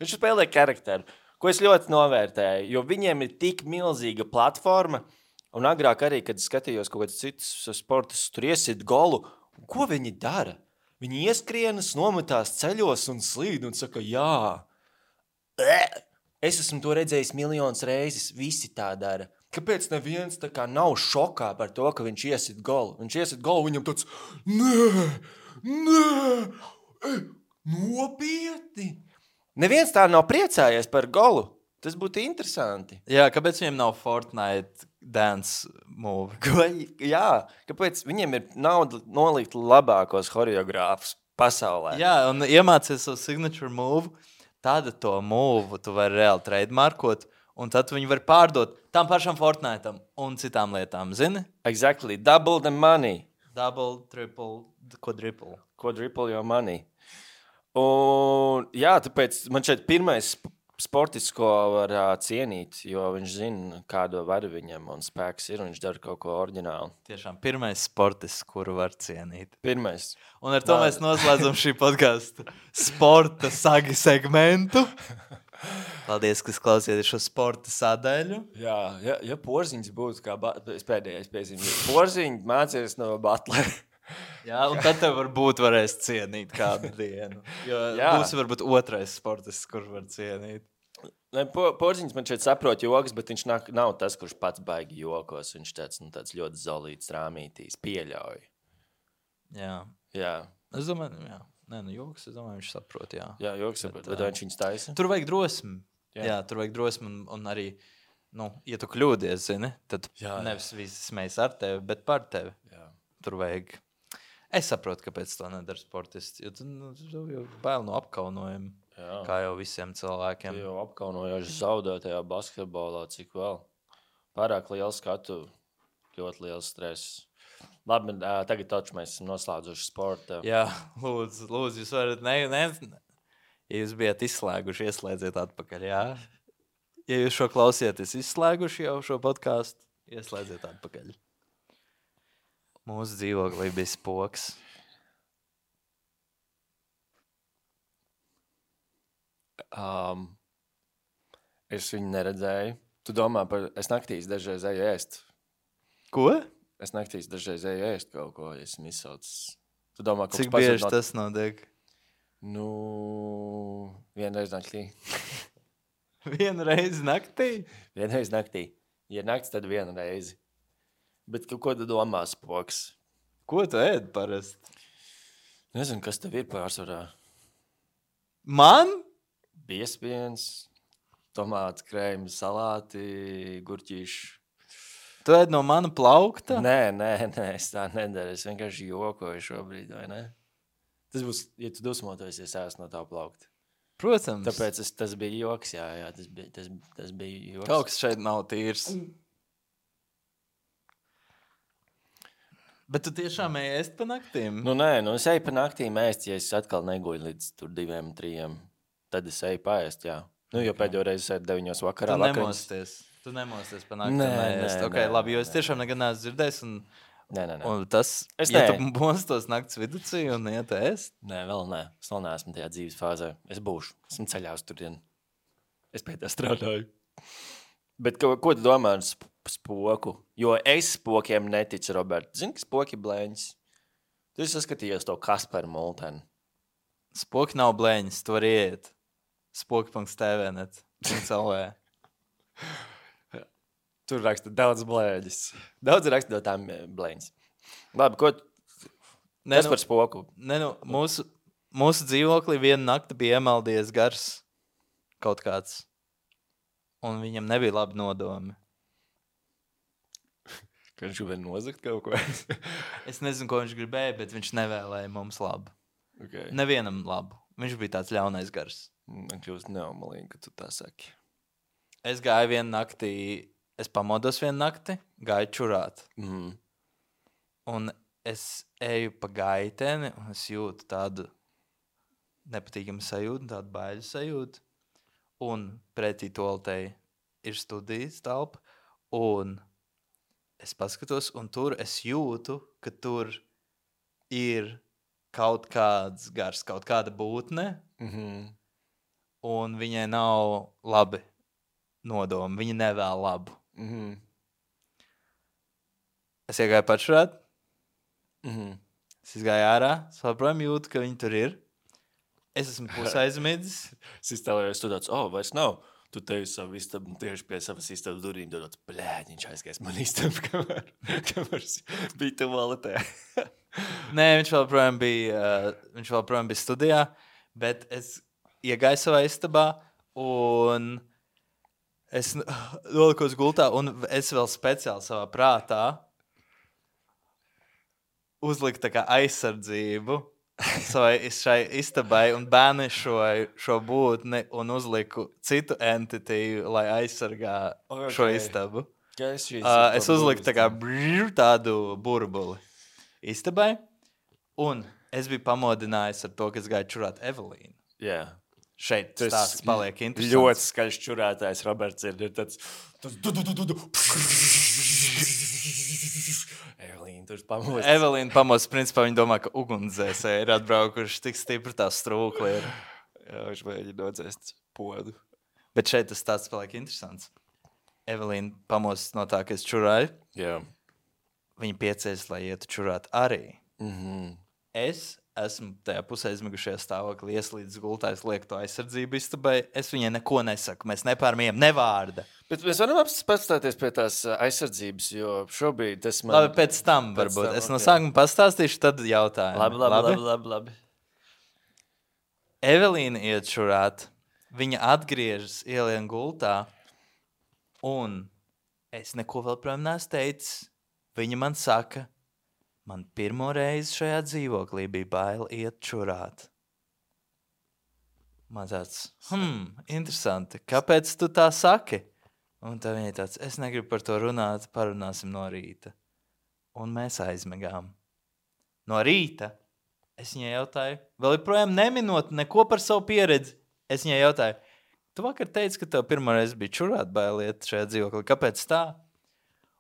viņš spēlē karakteru, ko es ļoti novērtēju, jo viņiem ir tik milzīga platforma. Un agrāk arī, kad skatījos kaut kādas citas sportas, tur iesit golu, ko viņi dara? Viņi ieskrienas, nometās ceļos un slīd un saka, jā. Es esmu to redzējis miljonus reizes, visi tā dara. Kāpēc neviens tā kā nav šokā par to, ka viņš iesit golu? Viņš iesit golu, viņam tāds, nē, nē, nopietni. Neviens tā nav priecājies par golu. Tas būtu interesanti. Jā, kāpēc viņiem nav Fortnite dance move? Ko, jā, kāpēc viņiem ir nauda nolikt labākos choreogrāfus pasaulē? Jā, un iemācies savu signature move, tāda to move tu vari reāli trademarkot, un tad viņi var pārdot tam pašam Fortnite'am un citām lietām, zini? Exactly, double the money. Double, triple, quadruple. Quadruple your money. Un jā, tāpēc man šeit pirmais sportists, ko var uh, cienīt, jo viņš zina, kādu varu viņam un spēks ir, un viņš dara kaut ko oriģinālu. Tiešām pirmais sportists, kuru var cienīt. Pirmais. Un ar to Nā. mēs noslēdzam šī podcastu sporta sagi segmentu. Paldies, ka klausījāties šo sporta sadaļu. Jā, ja, ja Porziņš būtu kā ba- es pēdējais piezīmju. Porziņš mācījās no Butlera. Jā, un tad tev varbūt varēs cienīt kādu dienu. Jo Jā. būs varbūt otrais sportists, kurš var cienīt. Ne, po, Porziņš man šeit saprot jogas, bet viņš nav, nav tas, kurš pats baigi jokos. Viņš tāds, nu, tāds ļoti zolīts rāmītīs, pieļauj. Jā. Jā, Es domāju, jā. Nē, nu joks, es domāju, viņš saprot, jā. jā jogas saprot, Bet, bet ā, viņš viņus taisa. Tur vajag drosmi. Jā. Jā, jā tur vajag drosmi un, un arī, nu, ja tu kļūdies, zini, tad Jā, jā. nevis visi smējas ar tevi, bet par tevi. Jā. Tur vajag. Es saprotu, kāpēc to nedara sportists, jo tu nu, tu jau bail no apkaunojuma, Jā. kā jau visiem Tu cilvēkiem. jau apkaunojoši zaudētajā basketbolā, cik vēl. Pārāk liels skatu, ļoti liels stress. Labi, ā, tagad taču mēs esam noslēdzuši sporta. Jā, lūdzu, lūdzu, jūs varat, ne, ne, ja jūs bijat izslēguši, ieslēdziet atpakaļ, jā. Ja jūs šo klausieties izslēguši jau šo podcastu, ieslēdziet atpakaļ. Mūsu dzīvoklī bija spoks. Um, es viņu neredzēju. Tu domā par, es naktīs dažreiz eju ēst. Ko? Es naktīs dažreiz eju ēst kaut ko, ja esmu izsaucis. Tu domā, kaut Cik kas pazūd bieži no... tas notiek? Nu, vienreiz naktī. Vienu reizi naktī? Vienreiz naktī. Ja nakts, tad vienu reizi. Bet ko, ko tu domā, spoks? Ko tu ēd parasti? Nezinu, kas tev ir pārsvarā. Man? Biespiens, tomāts, krējumi, salāti, gurķīši. Tu ēd no mana plaukta? Nē, nē, nē, es tā nedaru. Es vienkārši jokoju šobrīd, vai ne? Tas būs, ja tu dusmotos, es ēstu no tā plaukta. Protams. Tāpēc es, tas bija joks, jā, jā, tas bija, tas, tas bija joks. Kaut kas šeit nav tīrs. Bet tu tiešām ej ēst pa naktīm? Nu, nē, nu es eju pa naktīm ēst, ja es atkal neguļu līdz tur diviem, trījiem. Tad es eju paēst, jā. Nu, jo pēdējo reizi es eju deviņos vakarā. Tu vakariņas. nemosties. Tu nemosties pa naktīm Nē, ēst. nē, Ok, nē, labi, jo es nē. tiešām nekad neesmu dzirdējis. Un, Nē, nē, nē. un tas, Es ja nē. tu mostos nakts viducī un iet ēst, Nē, vēl nē. Es vēl neesmu tajā dzīves fāzē. Es būšu. Esmu ceļā uz turien. Es pie tā strādāju. Bet ko, ko tu domā ar sp spoku? Jo es spokiem neticu, Robert. Zini, ka spoki blēņas? Tu esi saskatījies to Kasparu Multenu. spoki nav blēņas, tu vari iet. spoki punkts t v net. Tur raksta daudz blēņas. Daudz raksta no tām eh, blēņas. Labi, ko tu... Ne, Kas nu, par spoku? ne, nu, mūsu, mūsu dzīvoklī vienu nakti bija iemaldies gars kaut kāds. Un viņam nebija labi nodomi. Ka viņš gribēja nozagt kaut ko? Es nezinu, ko viņš gribēja, bet viņš nevēlēja mums labu. Okay. Nevienam labu. Viņš bija tāds ļaunais gars. Man kļūst neomalīgi, ka tu tā saki. Es gāju vienu naktī, es pamodos vienu nakti, gāju čurāt. Mm. Un es eju pa gaiteni, un es jūtu tādu nepatīkamu sajūtu, tādu baiļu sajūtu. Un pretī toletei ir studijas telpa, un es paskatos, un tur es jūtu, ka tur ir kaut kāds gars, kaut kāda būtne, Mm-hmm. un viņai nav labi nodomi. Viņa nevēl labu. Mm-hmm. Es iegāju pačurāt, Mm-hmm. es izgāju ārā, es joprojām jūtu, ka viņi tur ir. Es esmu pusaizmidzis. Es iztēlējos, tu tāds, oh, vairs nav. Tu tevi savu istabu, tieši pie savas istabas durīm, tu tāds, blēd, viņš aizgājis man istabu, kamēr, kamēr bija tualetē. Nē, viņš vēl projām bija, uh, viņš vēl projām bija studijā, bet es iegāju savā istabā, un es nolikos gultā, un es vēl speciāli savā prātā uzliku tā kā aizsardzību savai šai istabai un bēnišoju šo būtni un uzliku citu entitīvu, lai aizsargā Okay. šo istabu. Ja es šīs Uh, es uzliku tā kā brrr, tādu burbuli istabai, un es biju pamodinājis ar to, ka es gāju čurāt Evelīnu. Jā. Šeit Tas stāsts paliek interesants. Ļoti skaļš čurētājs Roberts ir, ir tāds, tas du, du, du, du, du. Evelīna, tur pamostas. Evelīna pamostas, principā viņa domā, ka ugunsdzēsēji ir atbraukuši tik stipri tā strūkli ir. Jā, viņš mēģina nodzēst podu. Bet šeit tas stāsts paliek interesants. Evelīna pamostas no tā, ka es čurāju. Jā. Viņa piecēs, lai ietu čurāt arī. Mhm. Es esmu tajā pusē aizmigušajā stāvoklī, ieslīdis gultā, es lieku to aizsardzību istabai. Es viņai neko nesaku, mēs nepārmījam ne vārda. Bet mēs varam pastāties pie tās ā, aizsardzības, jo šobrīd tas man... Labi, pēc tam Pēc varbūt. tam, Es no ok. sākuma pastāstīšu, tad jautājumu. Labi, labi, labi, labi, labi. Evelīna iet čurāt, viņa atgriežas ielien gultā, un es neko vēl projām neesmu teicis. Viņa man saka, man pirmo reizi šajā dzīvoklī bija bail iet čurāt. Man tāds, hmm, interesanti, kāpēc tu tā saki? Un tā viņa tāds, es negribu par to runāt, parunāsim no rīta. Un mēs aizmegām. No rīta es viņai jautāju, vēl joprojām neminot neko par savu pieredzi. Es viņai jautāju, tu vakar teici, ka tev pirmo reizi bija čurāt bailiet šajā dzīvoklī. Kāpēc tā?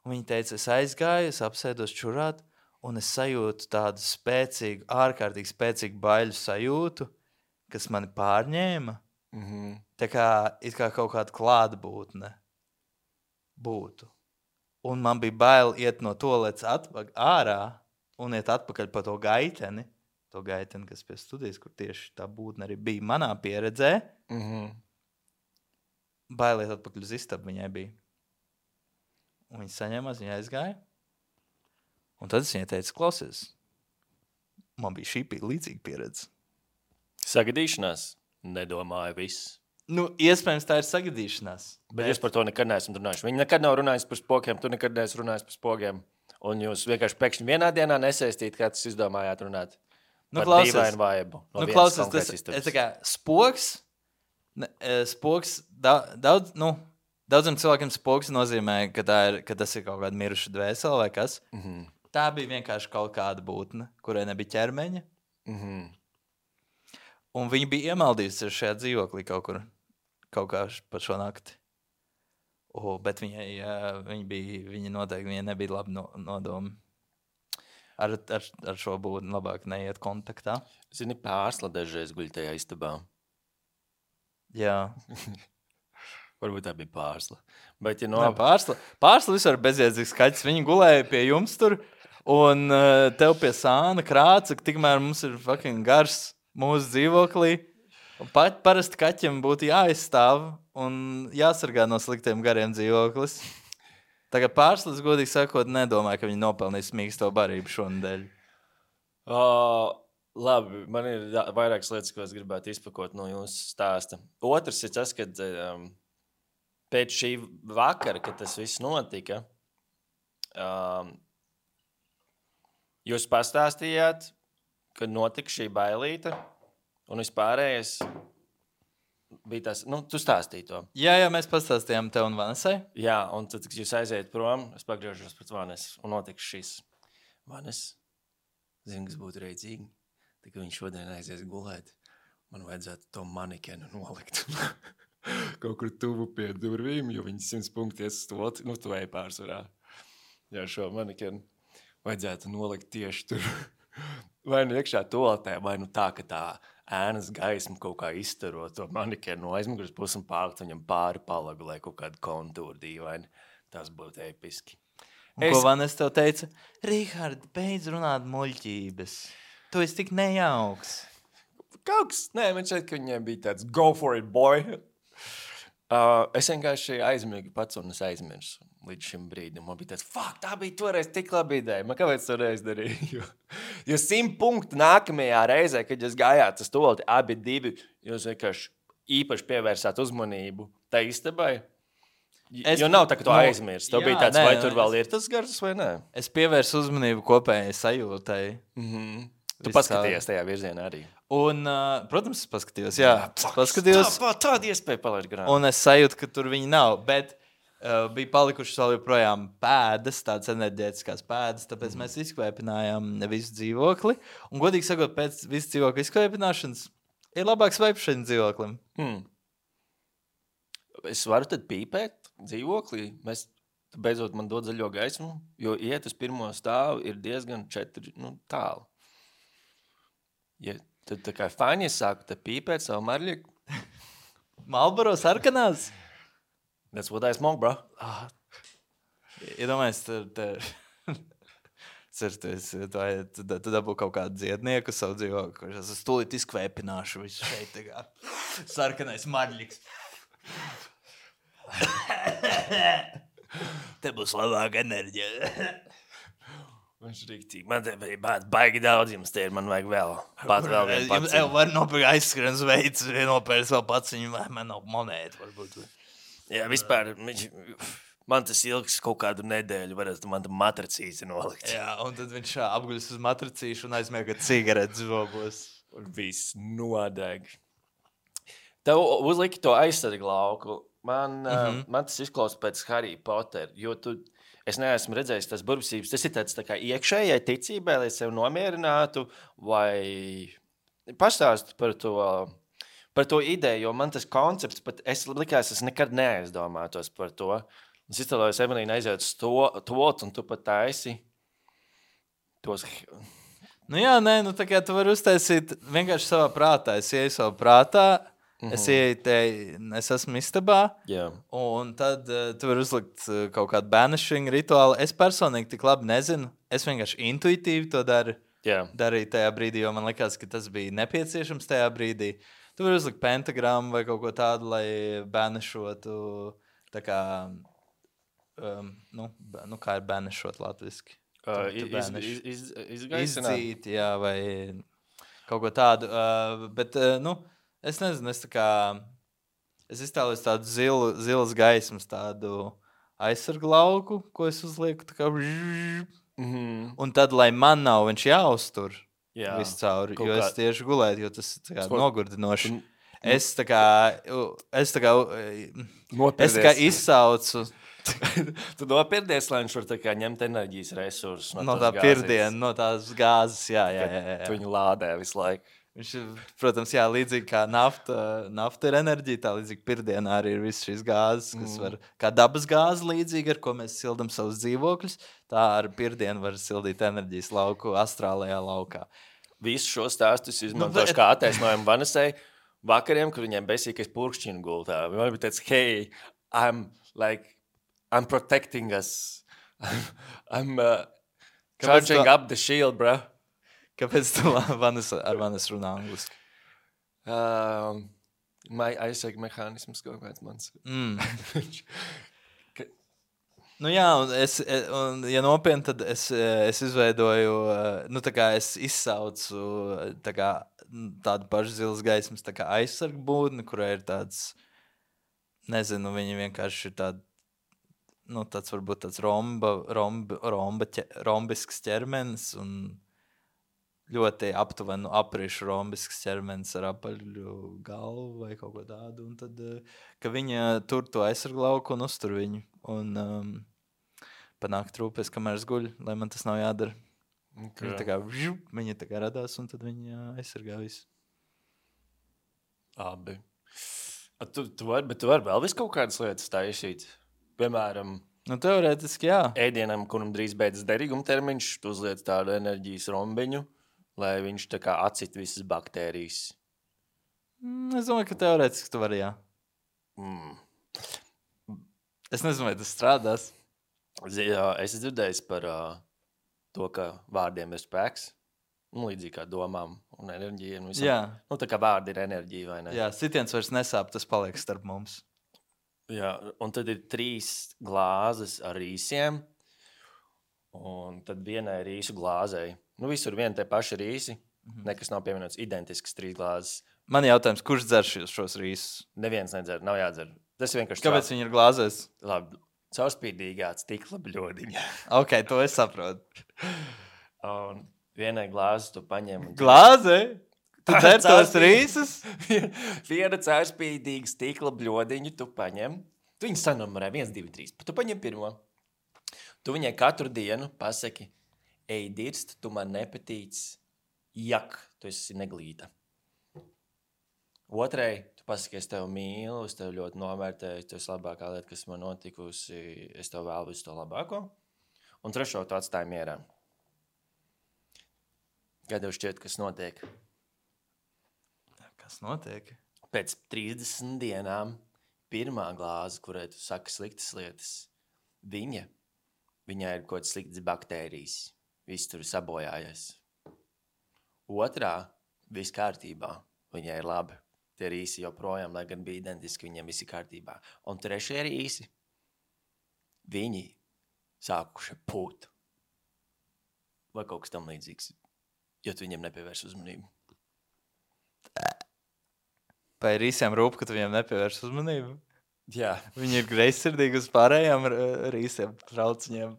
Un viņa teica, es aizgāju, es apsēdos čurāt, un es sajūtu tādu spēcīgu, ārkārtīgi spēcīgu baiļu sajūtu, kas mani pārņēma. Mhm. Tā kā, it kā kaut kāda klātbūtne būtu. Un man bija bail iet no toaletes atpakaļ ārā un iet atpakaļ pa to gaiteni. To gaiteni, kas pie studijas, kur tieši tā būtne arī bija manā pieredzē. Mhm. Bail iet atpakaļ uz istabu viņai bija. Un viņa saņēmās, viņa aizgāja. Un tad es viņai teicu, klausies, man bija šī pie- līdzīga pieredze. Sagadīšanās? Nedomāju viss. Nu, iespējams, tā ir sagadīšanās. Bet es par to nekad neesmu runājis. Viņi nekad nav runājis par spogiem, tu nekad neesi runājis par spogiem. Un jūs vienkārši pēkšņi vienā dienā nesaistīt, kā tas izdomājāt runāt. Nu, Par klausies, dīvainu vaibu no nu, vienas klausies, tas konkrētas istabas. ir tā kā spoks. Ne, e, spoks da, daudz, nu, daudziem cilvēkiem spoks nozīmē, ka, tā ir, ka tas ir kaut kāda miruša dvēsele vai kas. Mhm. Tā bija vienkārši kaut kāda būtne, kurai nebija ķermeņa. Mhm. Un viņa bija iemaldījusies šajā dzīvoklī kaut kur, kaut kā š- pa šo nakti. O, bet viņai, jā, viņa, bija, viņa noteikti viņai nebija labi no, nodomi. Ar, ar, ar šo būtni labāk neiet kontaktā. Zini, pārsla dažreiz guļ tajā istabā. Jā, Varbūt tā bija pārsla. Bet, ja no... no, pārsla, pārsla vispār bezjēdzīgs skaļs. Viņi gulēja pie jums tur, un uh, tev pie sāna krāca, ka tikmēr mums ir fucking gars mūsu dzīvoklī. Un pat parasti kaķiem būtu jāizstāv un jāsargā no sliktiem gariem dzīvoklis. Tagad pārslas, godīgi sakot, nedomāju, ka viņi nopelnīs mīksto barību šonadēļ. Uh, labi, man ir jā, vairākas lietas, ko es gribētu izpakot no jūsu stāsta. Otrs ir tas, ka um, pēc šī vakara, kad tas viss notika, Um, jūs pastāstījāt, kad notika šī bailīte, un vispārējais bija tas, nu, tu stāstīji to. Jā, jā, mēs pastāstījām tev un Vanesai. Jā, un tad, kad jūs aiziet prom, es pagriežos pret Vanesu, un notika šis. Vanes, zinu, kas būtu reidzīgi, tad, kad viņš šodien aizies gulēt, man vajadzētu to manikenu nolikt. Kaut kur tuvu pie durvīm, jo viņi simts punkti iesastot, nu, tu ej pārsvarā. Jā, šo manikenu vajadzētu nolikt tieši tur. Vai nu iekšā toaletē, vai nu tā, ka tā ēnas gaisma kaut kā izstaro to manikenu no aizmugures puses un pārlikt viņam pāri palagu, lai kaut kādu kontūru dīvaini. Tas būtu episki. Un, es... Ko Vanes tev teica? Rihard, beidz runāt muļķības. Tu esi tik nejauks. Kaut kas, nē, man šeit, ka viņiem bija tāds go for it, boy. Uh, es vienkārši aizmirgu pats un es aizmirsu līdz šim brīdim. Man bija tāds, fuck, tā bija toreiz tik labi ideja. Man kāpēc to reiz darīju? Jo, jo simt punktu nākamajā reizē, kad jūs gājāt uz tolti, abi divi, jūs vienkārši īpaši pievērsāt uzmanību tai istabai. Es, jo nav tā, ka to no, aizmirst. Tev jā, bija tāds, nē, vai tur vēl es, ir tas gars vai nē? Es pievērsu uzmanību kopējai sajūtai. Mhm. Tu paskatījies tajā virzienā arī. Un, uh, protams, es paskatījos, jā. jā paskatījos. Tā, tāda iespēja palaist garām. Un es sajūtu, ka tur viņi nav, bet uh, bija palikušas vēl joprojām pēdas, tādas enerģētiskās pēdas, tāpēc mm. mēs izkvēpinājām visu dzīvokli. Un, godīgi sakot, pēc visu dzīvokļu izkvēpināšanas ir labāks vaips šeit dzīvoklim. Mm. Es varu tad pīpēt dzīvoklī? Mēs, beidzot, man dod zaļo gaismu, jo iet uz pirmo stāvu ir diezgan četri, nu, tālu. Ja, tad tā kā fani, es sāku te pīpēt savu marļiku. Marlboro sarkanās? That's what I smoke, bro. Ah. Iedomājies, tur, tur. Certies, tu, tu dabū kaut kādu dziednieku savu dzīvokli, kurš es stulīt izkvēpināšu visu šeit tā kā sarkanais marļiks. Te būs labāka enerģija. Viņš rīktīgi. Man te bija baigi daudz, jums te ir, man vajag vēl. Pat vēl vienu paciņu. Jums var nopirkt aizskrienas veids, nopērst vēl paciņu, vai man nav monēta, varbūt. Jā, vispār, man tas ilgs kaut kādu nedēļu, varētu man tā matracīti nolikt. Jā, un tad viņš apguļas uz matracīšu un aizmiega cigaretes zobos. Un viss nodeg. Tev uzliki to aizsargu lauku. Man, mm-hmm. uh, man tas izklausās pēc Harry Potter, jo tu... Es neesmu redzējis tās burvesības. Tas ir tāds tā kā iekšējai ticībai, lai sev nomierinātu, vai pastāstu par to, par to ideju, jo man tas koncepts, pat es likās, es nekad neaizdomātos par to. Es iztēlojos, Evelīna aiziet uz to, tot, un tu pat taisi tos... Nu jā, nē, nu tā kā tu vari uztaisīt vienkārši savā prātā. Es ieju savā prātā, mm-hmm. es ieju te, es esmu istabā, yeah. un tad uh, tu vari uzlikt uh, kaut kādu banishing rituālu. Es personīgi tik labi nezinu, es vienkārši intuitīvi to daru, yeah. darīju tajā brīdī, jo man likās, ka tas bija nepieciešams tajā brīdī. Tu vari uzlikt pentagrammu vai kaut ko tādu, lai banishotu, tā kā, um, nu, nu, kā ir banishot latviski? Uh, iz, iz, iz, izgaisināt? Izzīt, jā, vai kaut ko tādu, uh, bet, uh, nu, es nezinu, es tā kā, es iztēlojos tādu zilu, zilas gaismas, tādu aizsargu lauku, ko es uzlieku, tā kā, mm-hmm. un tad, lai man nav viņš jāuztur jā, visu cauri, jo kā... es tieši gulētu, jo tas tā kā Skor... nogurdinoši. Un... Es tā kā, es tā kā, Nopirdies. es tā kā izsaucu. Tu nopirdies, lai viņš var tā kā ņemt enerģijas resursus no, no tā pirdiena, no tās gāzes, jā, jā, jā, jā. Tu viņu lādē visu laiku. Viņš, protams, jā, līdzīgi kā nafta, nafta ir enerģija, tā līdzīgi pirdienā arī ir visas šīs gāzes, kas Mm. var, kā dabas gāze līdzīgi, ar ko mēs sildam savus dzīvokļus, tā ar pirdienu var sildīt enerģijas lauku astrālajā laukā. Visu šo stāstus izmantošu Nu, bet- kā attaisnojumu Vanesai vakariem, kur viņiem besīkais purkšķinu gultā. Viņam bija tāds, hey, I'm like, I'm protecting us. I'm uh, Kāpēc charging tu- up the shield, bro. Kāpēc tu Vanes, ar Vanes runā angliski? Um, my aizsargu mehānisms kaut kāds mans. Mm. Ka- Nu jā, un es, un, ja nopietni, tad es, es izveidoju, nu tā kā es izsaucu tā kā, tādu pašu zilas gaismas tā kā aizsargu būdni, kurā ir tāds, nezinu, viņi vienkārši ir tādi, nu, tāds varbūt tāds romba, romba, romba, ķe, rombisks ķermenis un ļoti aptuveni aprišu rombisks ķermenis ar apaļu galvu vai kaut ko tādu. Un tad, ka viņa tur to aizsarglauku un uztur viņu. Un um, panāk trūpēs, kamēr es guļu, lai man tas nav jādara. Okay. Viņa tā kā, vžu, viņa tā kā radās un tad viņa aizsargā visu. Abi. Tu, tu vari, bet tu vari vēl visu kaut kādas lietas taisīt. Piemēram, nu, teorētiski, jā. Ēdienam, kuram drīz beidzas derīguma termiņš, tu uzliec tādu enerģijas rombiņu, lai viņš tā kā atcit visas baktērijas. Mm, es domāju, ka teorētiski tu vari, jā. Mm. Es nezinu, vai tas strādās. Jā, es esmu dzirdējis par uh, to, ka vārdiem ir spēks. Nu, līdzīgi kā domām un enerģija. Un jā. Nu, tā kā vārdi ir enerģija, vai ne? Jā, sitiens vairs nesāp, tas paliek starp mums. Jā, un tad ir trīs glāzes ar rīsiem, un tad vienai rīsu glāzei. Nu, visur vien te paši rīsi, mm-hmm. nekas nav pievienots identisks trīs glāzes. Man jautājums, kurš dzer šos, šos rīsus? Neviens nedzer, nav jādzer. Tas vienkārši... Kāpēc viņi ir glāzēs? Labi, caurspīdīgā stikla bļodiņa. Ok, to es saprotu. Un vienai glāzi tu paņem... Un... Glāze? Tu dzer tos rīsus? Viena caurspīdīga stikla bļodiņu tu paņem. Tu viņu sanumerē viens, divi, trīs. Tu paņem pirmo. Tu viņai katru dienu pasaki, ej dirst, tu man nepatīc, jak, tu esi neglīta. Otrai, tu pasaki, es tev mīlu, es tev ļoti novērtēju, tu esi labākā lieta, kas man notikusi, es tev vēlu visu to labāko. Un trešo tu atstāji mierā. Kā tev šķiet, kas notiek? Kas notiek? Pēc trīsdesmit dienām pirmā glāze, kurai tu saki sliktas lietas, viņa, viņai ir kaut kāds sliktas baktērijas. Viss tur sabojājies. Otrā, viss kārtībā. Viņai ir labi. Tie rīsi joprojām, lai gan bija identiski, viņiem viss ir kārtībā. Un trešie rīsi, viņi sākuši pūt. Vai kaut kas tam līdzīgs. Jo tu viņiem nepievērs uzmanību. Vai rīsiem rūp, ka tu viņiem nepievērs uzmanību? Jā. Viņi ir greizsirdīgi uz pārējām rīsiem, trauciņiem.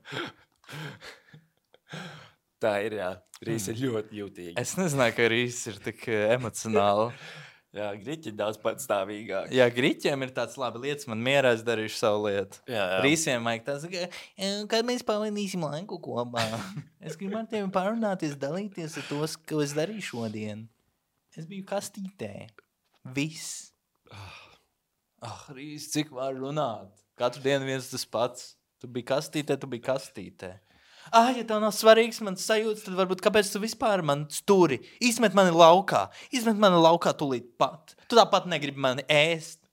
Tā ir, jā. Rīsi ir ļoti jūtīgi. Es nezināju, ka rīsi ir tik emocionāli. Jā, griķi daudz patstāvīgāk. Jā, griķiem ir tāds labi lietas, man mierā es darīšu savu lietu. Jā, jā. Rīsiem vajag tāds, ka, kad mēs pavadīsim laiku kopā. Es gribu ar tevi parunāties, dalīties ar tos, ko es darīju šodien. Es biju kastītē. Viss. Ah, Rīs, cik var runāt? Katru dienu viens tas pats. Tu biji kastītē, tu biji kastītē. Ah, ja tev nav svarīgs mans sajūtas, tad varbūt kāpēc tu vispār man sturi? Izmet mani laukā. Izmet mani laukā tūlīt pat. Tu tāpat negribi mani ēst.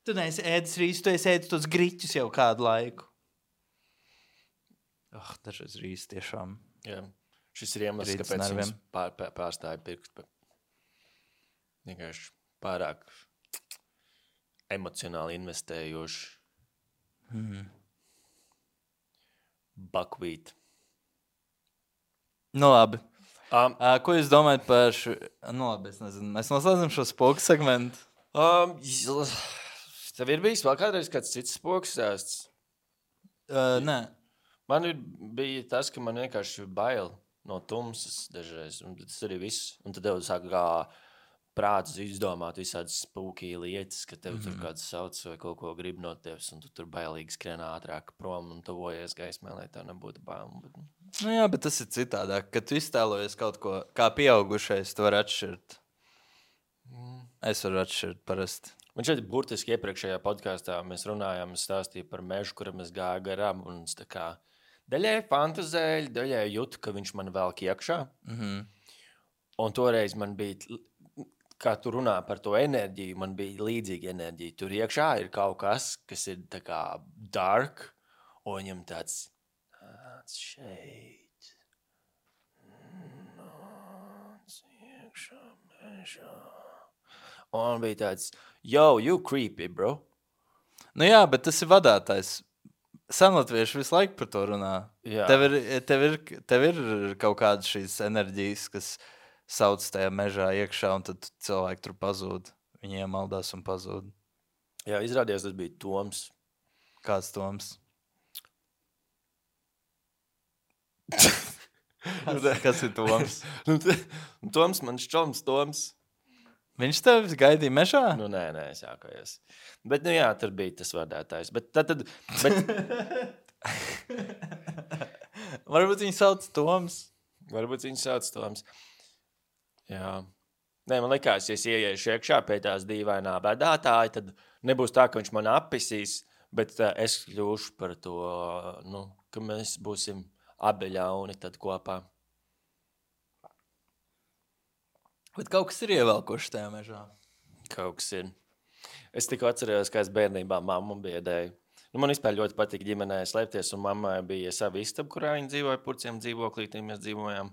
Tu neesi ēdis rīsu, tu esi ēdis tos griķus jau kādu laiku. Ah, dažreiz rīsu tiešām. Jā. Šis ir iemesls, Rītas kāpēc nerviem. viņas pār, pār, pārstāja pirkt. Vienkārši pārāk emocionāli investējoši. Hmm. Buckwheat. Nu labi. Um, Uh, ko jūs domājat par šo... Nu labi, es nezinu. Mēs noslēdzam šo spoku segmentu. um, tev ir bijis vēl kādreiz kāds cits spoks stāsts? Uh, nē. Man ir, bija tas, ka man vienkārši bail no tumsas dažreiz. Un tas arī viss. Un tad tev sāk kā prāts izdomāt visādas spooky lietas, ka tev mm-hmm. tur kāds sauc vai kaut ko grib no tevis, un tu tur bailīgi skrien ātrāk prom un tuvojies gaismē, lai tev nebūtu bail. Bet... Nu jā, bet tas ir citādāk. Kad tu iztēlojies kaut ko, kā pieaugušais, tu vari atšķirt. Mm. Es varu atšķirt parasti. Man šeit burtiski iepriekšējā podkāstā mēs runājām, es stāstīju par mežu, kuram es gāju garām, un es tā kā daļai fantazēju, daļai jūtu, ka viņš man velk iekšā. Mm-hmm. Un toreiz man bija... Kā tu runā par to enerģiju, man bija līdzīga enerģija. Tur iekšā ir kaut kas, kas ir tā kā dark, un viņam tāds, tāds šeit, nāc iekšā mežā. Un man bija tāds, yo, you creepy, bro. Nu jā, bet tas ir vadātājs. Senlatvieši visu laiku par to runā. Jā. Tev ir, tev ir, tev ir kaut kādas šīs enerģijas, kas... sauc tajā mežā iekšā, un tad cilvēki tur pazūd. Viņi iemaldās un pazūd. Jā, izrādījās, tas bija Toms. Kāds Toms? Kas, kas ir Toms? Nu, t- Toms, man šķoms, Toms. Viņš tev gaidīja mežā? Nu, nē, nē, es jākājos. Bet, nu jā, tur bija tas vardētājs. Bet tad, tad bet, Varbūt viņu sauc Toms. varbūt viņš sauc Toms. Jā. Nē, man likās, ja es ieiešu iekšā pie tās dīvainā bedātāja, tad nebūs tā, ka viņš man appisīs, bet uh, es kļūšu par to, nu, ka mēs būsim abi ļauni tad kopā. Bet kaut kas ir ievelkoši tajā mežā. Kaut kas ir. Es tikko atcerējos, kā es bērnībā mammu biedēju. Nu, man vispār ļoti patika ģimenē slēpties, un mammai bija sava istaba, kurā viņa dzīvoja, purciem dzīvoklītiem mēs dzīvojām.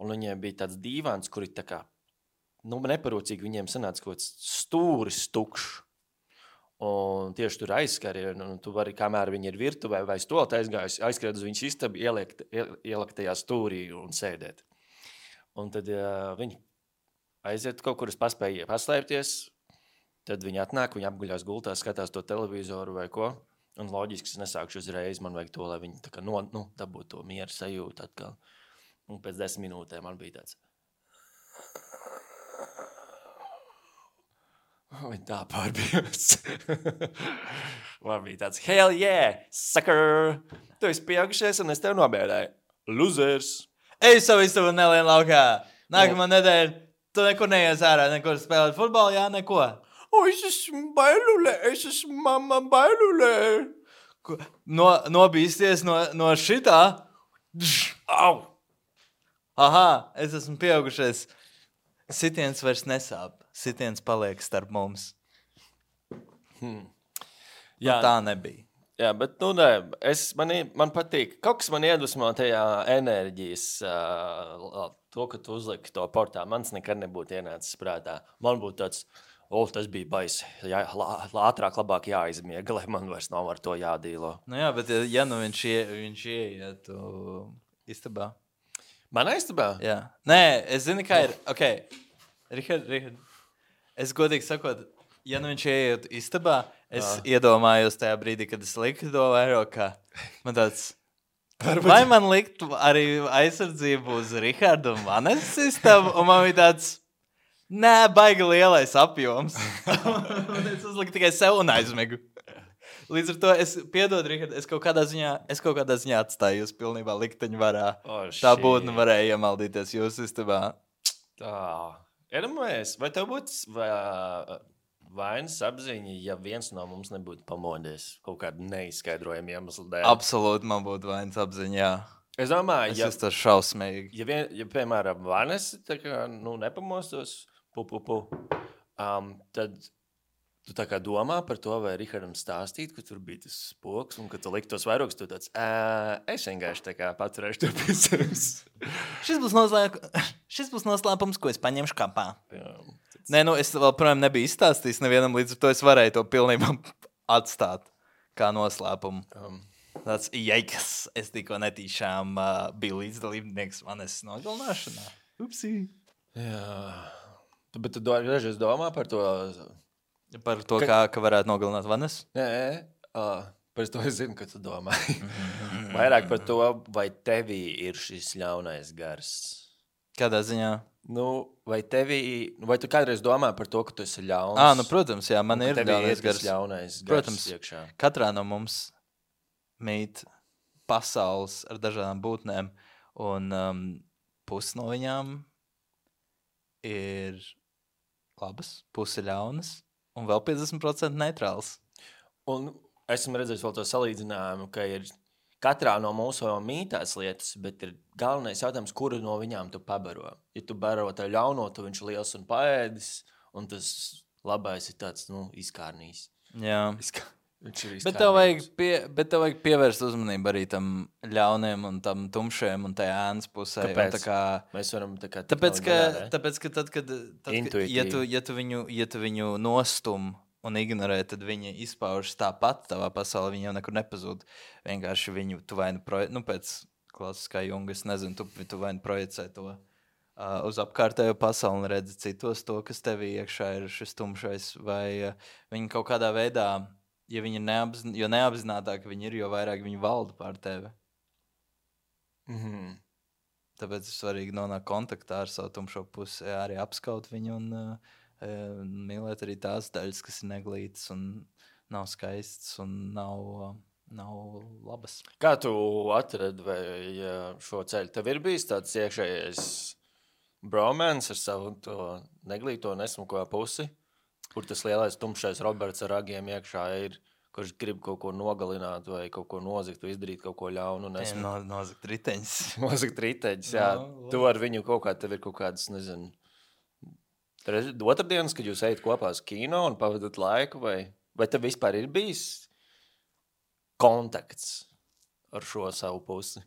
Un viņai bija tāds dīvāns, kur ir tā kā, nu, neparūcīgi viņiem sanāca kaut kāds stūris tukšs. Un tieši tur aizskari, un tu vari, kamēr viņi ir virtuvē vai stolta aizgājusi, aizskriet uz viņas istabu, ieliekt, ielikt tajā stūrī un sēdēt. Un tad ja, viņi aiziet kaut kur, es paspēju paslēpties, tad viņi atnāk, viņi apguļās gultā, skatās to televizoru vai ko, un loģiski es nesākšu uzreiz, man vajag to, lai viņi tā kā no, nu, dabūtu to mieru sajūtu atkal. Un pēc desmit minūtēm man bija tāds. Viņa tā pārbijās. Man bija tāds, hell yeah, sucker! Tu esi pieaugušies un es tev nobēdēju. Losers! Ej savu istabu nelien laukā. Nākamā nedēļa, tu nekur neies ārā, nekur spēlēt futbolu, jā, neko. O, es esmu bailulē, es esmu mamma bailulē. Ko- No, nobīsties no, no šitā. Au! Aha, es esmu pieaugušies. Sitiens vairs nesāp. Sitiens paliek starp mums. Jā, Tā nebija. jā, bet, nu, nē, es, man, i- man patīk. Kaut kas man iedvesmo tajā enerģijas, uh, to, ka tu uzliki to portā. Mans nekad nebūtu ienācis prātā. Man būtu tāds, o, tas bija baisi. Jā, lā- ātrāk, labāk jāizmiega, lai man vairs nav ar to jādīlo. Nu jā, bet ja, ja nu viņš, ie, viņš ieietu istabā. Man aiztabā? Jā. Nē, es zinu, kā ir. Ok, Rihard, Rihard. Es godīgi sakot, ja nu viņš ieiet istabā, es Jā. iedomājos tajā brīdī, kad es liku to vairāk, kā man tāds. Vai man likt arī aizsardzību uz Rihardu un Vanes istabu, un man bija tāds, nē, baigi lielais apjoms. Un es uzliku tikai sev un aizmegu. Līdz ar to es piedodu, Rihard, es kaut kādā ziņā, es kaut kādā ziņā atstāju jūs pilnībā likteņu varā. O, Tā shit. būtne varēja iemaldīties jūsu istabā. Tā. Iedomājies, vai tev būtu vai- vainas apziņa, ja viens no mums nebūtu pamodies kaut kādu neizskaidrojumu iemeslu dēļ? Absolūti man būtu vainas apziņā, jā. Es domāju, Es ja, esmu tas šausmīgi. ja, vien, ja piemēram, Vanes tā kā, nu, nepamostos, pu, pu, pu, um, tad tu tā kā domā par to, vai Rihardam stāstīt, ka tur bija tas spoks, un ka tu likt tos vairogus, tu tāds, ā, es vienkārši tā kā paturēšu to pie sevis. Šis būs, noslēp... Šis būs noslēpums, ko es paņemšu kapā. Jā, Nē, nu es vēl, protams, nebiju izstāstījis nevienam, līdz ar to es varēju to pilnībā atstāt kā noslēpumu. um, Tāds, jeikas, es tikko netīšām uh, biju līdzdalībnieks manas nogalināšanā. Upsī. jā. Tu, bet tu do, dažreiz domā par to... Par to, Ka- kā ka varētu nogalināt Vanes. Nē, uh, par to es zinu, ka tu domā. Vairāk par to, vai tevī ir šis ļaunais gars. Kādā ziņā? Nu, vai tevī, vai tu kādreiz domā par to, ka tu esi ļauns? Ā, nu, protams, jā, man Un ka ir tevī ļaunais tas gars. ļaunais gars Protams. iekšā. Katrā no mums mīt pasaules ar dažādām būtnēm, un um, pusi no viņām ir labas, pusi ļaunas, un vēl piecdesmit procenti neitrāls. Un esmu redzējis vēl to salīdzinājumu, ka ir katrā no mūsu mītās lietas, bet ir galvenais jautājums, kuru no viņām tu pabaro. Ja tu baro tā ļauno, tu viņš ir liels un paēdis, un tas labais ir tāds, nu, izkārnīs. Jā. Izkā... Viņš ir Bet tev, vajag pie, bet tev vajag pievērst uzmanību arī tam ļauniem un tam tumšajam un tajā ēnas pusē. Kāpēc? Un tā kā, Mēs varam tā kā... tāpēc, tik ka, labi darāt, tāpēc, ka tad, kad, tad, kad Intuitīvi. ja, tu, ja, tu viņu, ja tu viņu nostum un ignorē, tad viņi izpaužas tāpat tavā pasaulē, viņi jau nekur nepazūd. Vienkārši viņu, tu vai nu, proje, nu pēc klasiskā junga, es nezinu, tu, tu vai nu projicē to uh, uz apkārtējo pasauli un redzi citos to, kas tevī iekšā ir šis tumšais, vai uh, viņi kaut kādā veidā ja viņi ir neapzin... jo neapzinātāk viņi ir, jo vairāk viņi valda pār tevi. Mhm. Tāpēc ir svarīgi nonākt kontaktā ar savu tumšo pusi, arī apskaut viņu un uh, uh, mīlēt arī tās daļas, kas ir neglītas un nav skaistas un nav, uh, nav labas. Kā tu atradi vai šo ceļu? Tev ir bijis tāds iekšējais bromance ar savu to neglīto nesmuko pusi, kur tas lielais tumšais Roberts ar ragiem iekšā ir, kurš grib kaut ko nogalināt vai kaut ko nozagt vai izdarīt kaut ko ļaunu. Viņam no, nozagt riteņus. Nozagt riteņus, jā. No, tu ar viņu kaut kā, tev ir kaut kādas, nezinu, otrdienas, kad jūs ejat kopā uz kino un pavadat laiku, vai, vai tev vispār ir bijis kontakts ar šo savu pusi?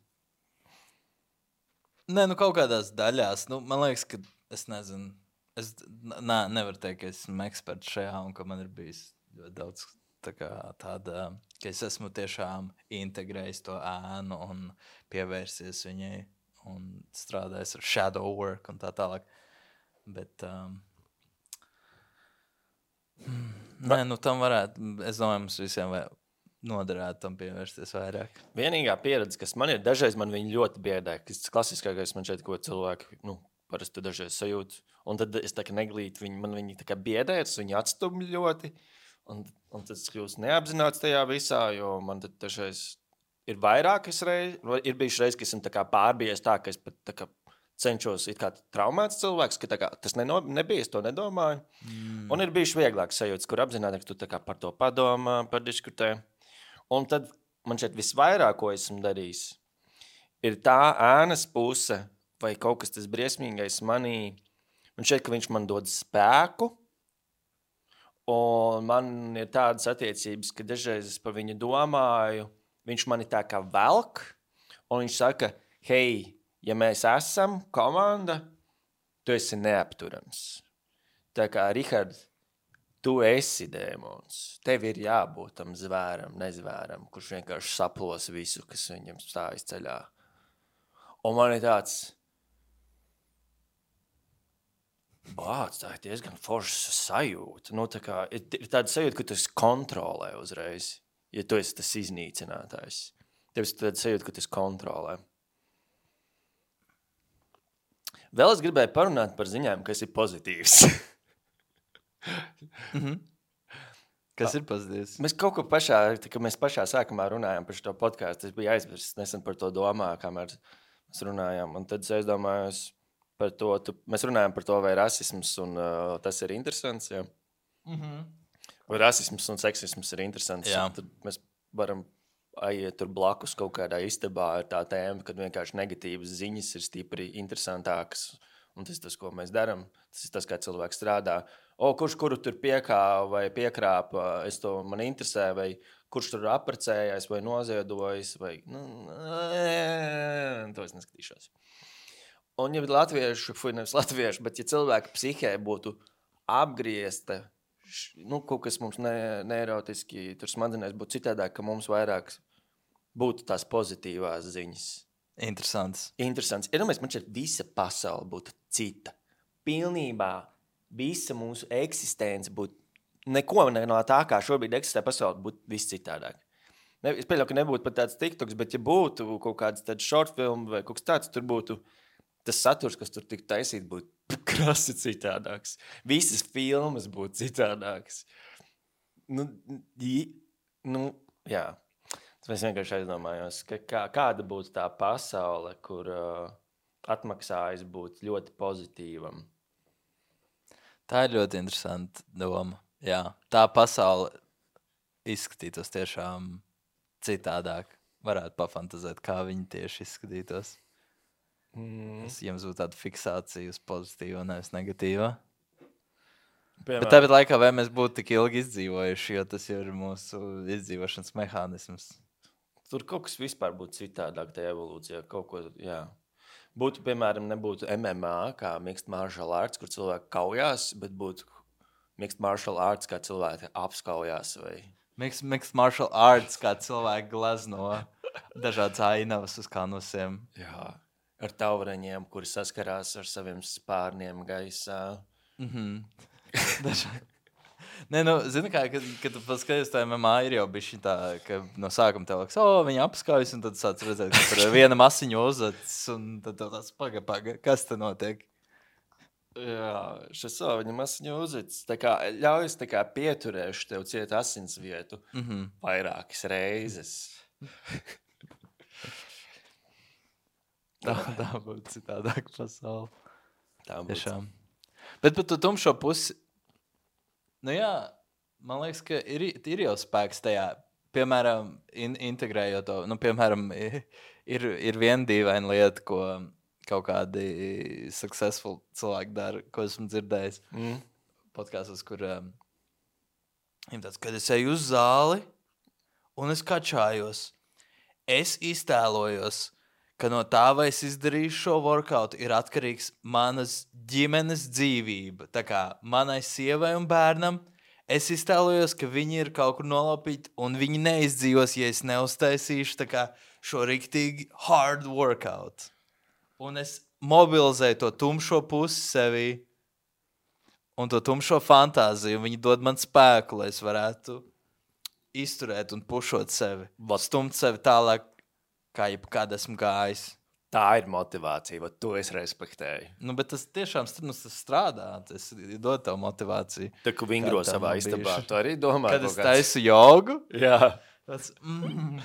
Nē, nu kaut kādās daļās. Nu, man liekas, ka es nezinu. Es nē, nevaru teikt, ka esmu eksperts šajā un ka man ir bijis ļoti daudz tā kā tāda, ka es esmu tiešām integrējis to ēnu un pievērsies viņai un strādājis ar shadow work un tā tālāk. Bet, um, nē, nu tam varētu, es domāju, mums visiem vai noderētu tam pievērsties vairāk. Vienīgā pieredze, kas man ir, dažreiz man viņi ļoti biedē, kas klasiskākais man šeit, ko cilvēki, nu, parasti dažreiz sajūt, un tad es tā kā neglītu, viņi, man viņi tā kā biedē, es viņi atstumj ļoti, un, un tas kļūst neapzināts tajā visā, jo man tad dažreiz ir vairākas reizes, ir bijuši reizes, ka esmu tā kā pārbijies tā, ka es pat tā kā cenšos it kā traumēts cilvēks, ka tā kā tas neno, nebija, es to nedomāju, mm. un ir bijuši vieglāk sajūtas, kur apzināti, ka tu tā kā par to padomā, padiskutē. Un tad man šeit visvairāk, ko esmu darījis, ir tā ēnas puse vai kaut kas tas briesmīgais manī. Man šeit, ka viņš man dod spēku, un man ir tādas attiecības, ka dažreiz es par viņu domāju, viņš mani tā kā velk, un viņš saka, hei, ja mēs esam komanda, tu esi neapturams. Tā kā, Rihard, tu esi dēmons. Tev ir jābūt tam zvēram, nezvēram, kurš vienkārši saplos visu, kas viņam stājas ceļā. Un man ir tāds, bāc, tā ir diezgan forša sajūta. Nu, tā kā, ir, ir tāda sajūta, ka tu esi kontrolē uzreiz, ja tu esi tas iznīcinātājs. Tev ir tāda sajūta, ka tu esi kontrolē. Vēl es gribēju parunāt par ziņām, kas ir pozitīvs. mm-hmm. Kas ir pozitīvs? Mēs kaut ko pašā, tā, mēs pašā sākumā runājām par šo podcastu. Es biju aizmirsis nesen par to domā, kamēr mēs runājām. Un tad es aizdomājos par to, tu, mēs runājām par to, vai rasisms un uh, tas ir interesants. Ja? Mm-hmm. Vai rasisms un seksisms ir interesants. Tad mēs varam aiziet tur blakus kaut kādā istabā ar tā tēma, kad vienkārši negatīvas ziņas ir stipri interesantākas. Un tas ir tas, ko mēs darām. Tas ir tas, kā cilvēks strādā. O, kurš kuru tur piekāva vai piekrāpa, es to man interesē, vai kurš tur apprecējais vai noziedojis, vai, nu, to es neskatīšos. Un ja latviešu, fuj, nevis latviešu, bet ja cilvēka psihē būtu apgriezta, nu, kaut kas mums ne, neirotiski, tur smadzenēs būtu citādāk, ka mums vairāk būtu tās pozitīvās ziņas. Interesants. Interesants. Ja domājies, man šeit visa pasaule būtu cita. Pilnībā visa mūsu eksistence būtu, neko no tā, kā šobrīd eksistē pasaule, būtu viss citādāk. Ne, es pieļauju, ka nebūtu pat tāds TikToks, bet ja būtu kaut kāds tāds short film vai kaut kas tāds, tur būtu tas saturs, kas tur tik taisīt, būtu krasi citādāks. Visas filmas būtu citādāks. Nu, nu jā. Es vienkārši aizdomājos, ka kā, kāda būtu tā pasaule, kur uh, atmaksājas būt ļoti pozitīvam. Tā ir ļoti interesanta doma. Jā, tā pasaule izskatītos tiešām citādāk. Varētu pafantazēt, kā viņi tieši izskatītos. Mm. Es jums būtu tāda fiksācija uz pozitīvo, nevis negatīvo. Piemēram. Bet tāpat laikā, vai mēs būtu tik ilgi izdzīvojuši, jo tas jau ir mūsu izdzīvošanas mehānisms. Tur kaut kas vispār būtu citādāk tajā evolūcijā. Kaut ko, jā. Būtu, piemēram, nebūtu M M A, kā mixed martial arts, kur cilvēki kaujās, bet būtu mixed martial arts, kā cilvēki apskaujās. Vai... Mixed, mixed martial arts, kā cilvēki glazno dažādas ainavas uz kanusiem. Jā, ar tauraņiem, kuri saskarās ar saviem spārniem gaisā. Mhm. Dažādi. Nē, nu, zini, kā, kad, kad tu paskaties, tā M M A ir jau bišķi tā, ka no sākuma tev liekas, o, viņa apskaujas, un tad sāc redzēt, ka tur viena masiņu uzacis, un tad tev tāds paga, paga, kas te notiek? Jā, šis savu viņa masiņu uzits. Tā kā ļaujas tā kā pieturēšu tev ciet asins vietu Mhm. vairākas reizes. Tā, tā būtu citādāk pasauli. Tā būtu. Tiešām. Bet par to tumšo pusi, nu jā, man liekas, ka ir, ir jau spēks tajā, piemēram, in, integrējot to, nu, piemēram, ir, ir viena dīvaina lieta, ko kaut kādi successful cilvēki dara, ko esmu dzirdējis Mm. podkāstos, kur um, viņam tāds, kad es eju uz zāli un es kačājos, es iztēlojos, ka no tā, vai es izdarīšu šo workout, ir atkarīgs manas ģimenes dzīvība. Tā kā manai sievai un bērnam, es iztēlojos, ka viņi ir kaut kur nolaupīti, un viņi neizdzīvos, ja es neuztaisīšu tā kā šo riktīgi hard workout. Un es mobilizēju to tumšo pusi sevī, un to tumšo fantāziju, un viņi dod man spēku, lai es varētu izturēt un pušot sevi. Stumt sevi tālāk, kā jebkad esmu gājis. Tā ir motivācija, vai to es respektēju. Nu, bet tas tiešām nu, tas strādā. Tas dod tev motivāciju. Tā kā vingro Kā tā savā man istabā, bijuši. tu arī domā, Kad kaut es kāds- taisu jogu, Jā. tas mm,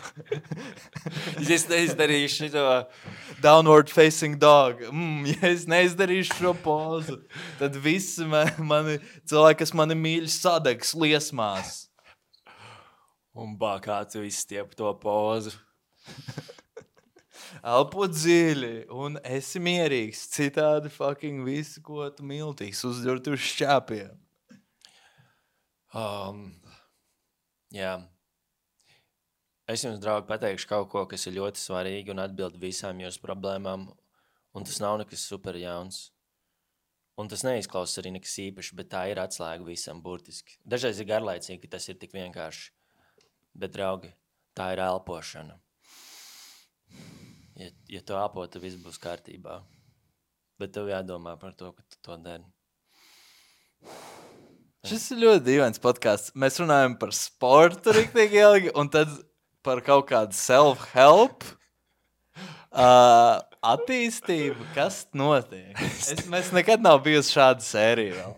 Ja es neizdarīšu to, downward facing dog. Mm, ja es neizdarīšu šo pozu, tad visi ma- mani cilvēki, kas mani mīļ, sadegs liesmās. un bā, kā tu izstiep to pozu. Elpo dziļi un esi mierīgs. Citādi fucking visu, ko tu miltīgs, uzģurt uz šķāpiem. Um, jā. Es jums, draugi, pateikšu kaut ko, kas ir ļoti svarīgi un atbild visām jūsu problēmām. Un tas nav nekas super jauns. Un tas neizklausās arī nekas īpašs, bet tā ir atslēga visam burtiski. Dažreiz ir garlaicīgi, ka tas ir tik vienkārši. Bet, draugi, tā ir elpošana. Ja, ja tu elpo, tad viss būs kārtībā. Bet tev jādomā par to, ka tu to dari. Šis ir ļoti dīvains podkāsts. Mēs runājam par sportu riktīgi ilgi, un tad par kaut kādu self-help uh, attīstību. Kas notiek? Es, mēs nekad nav bijusi šāda sērija vēl.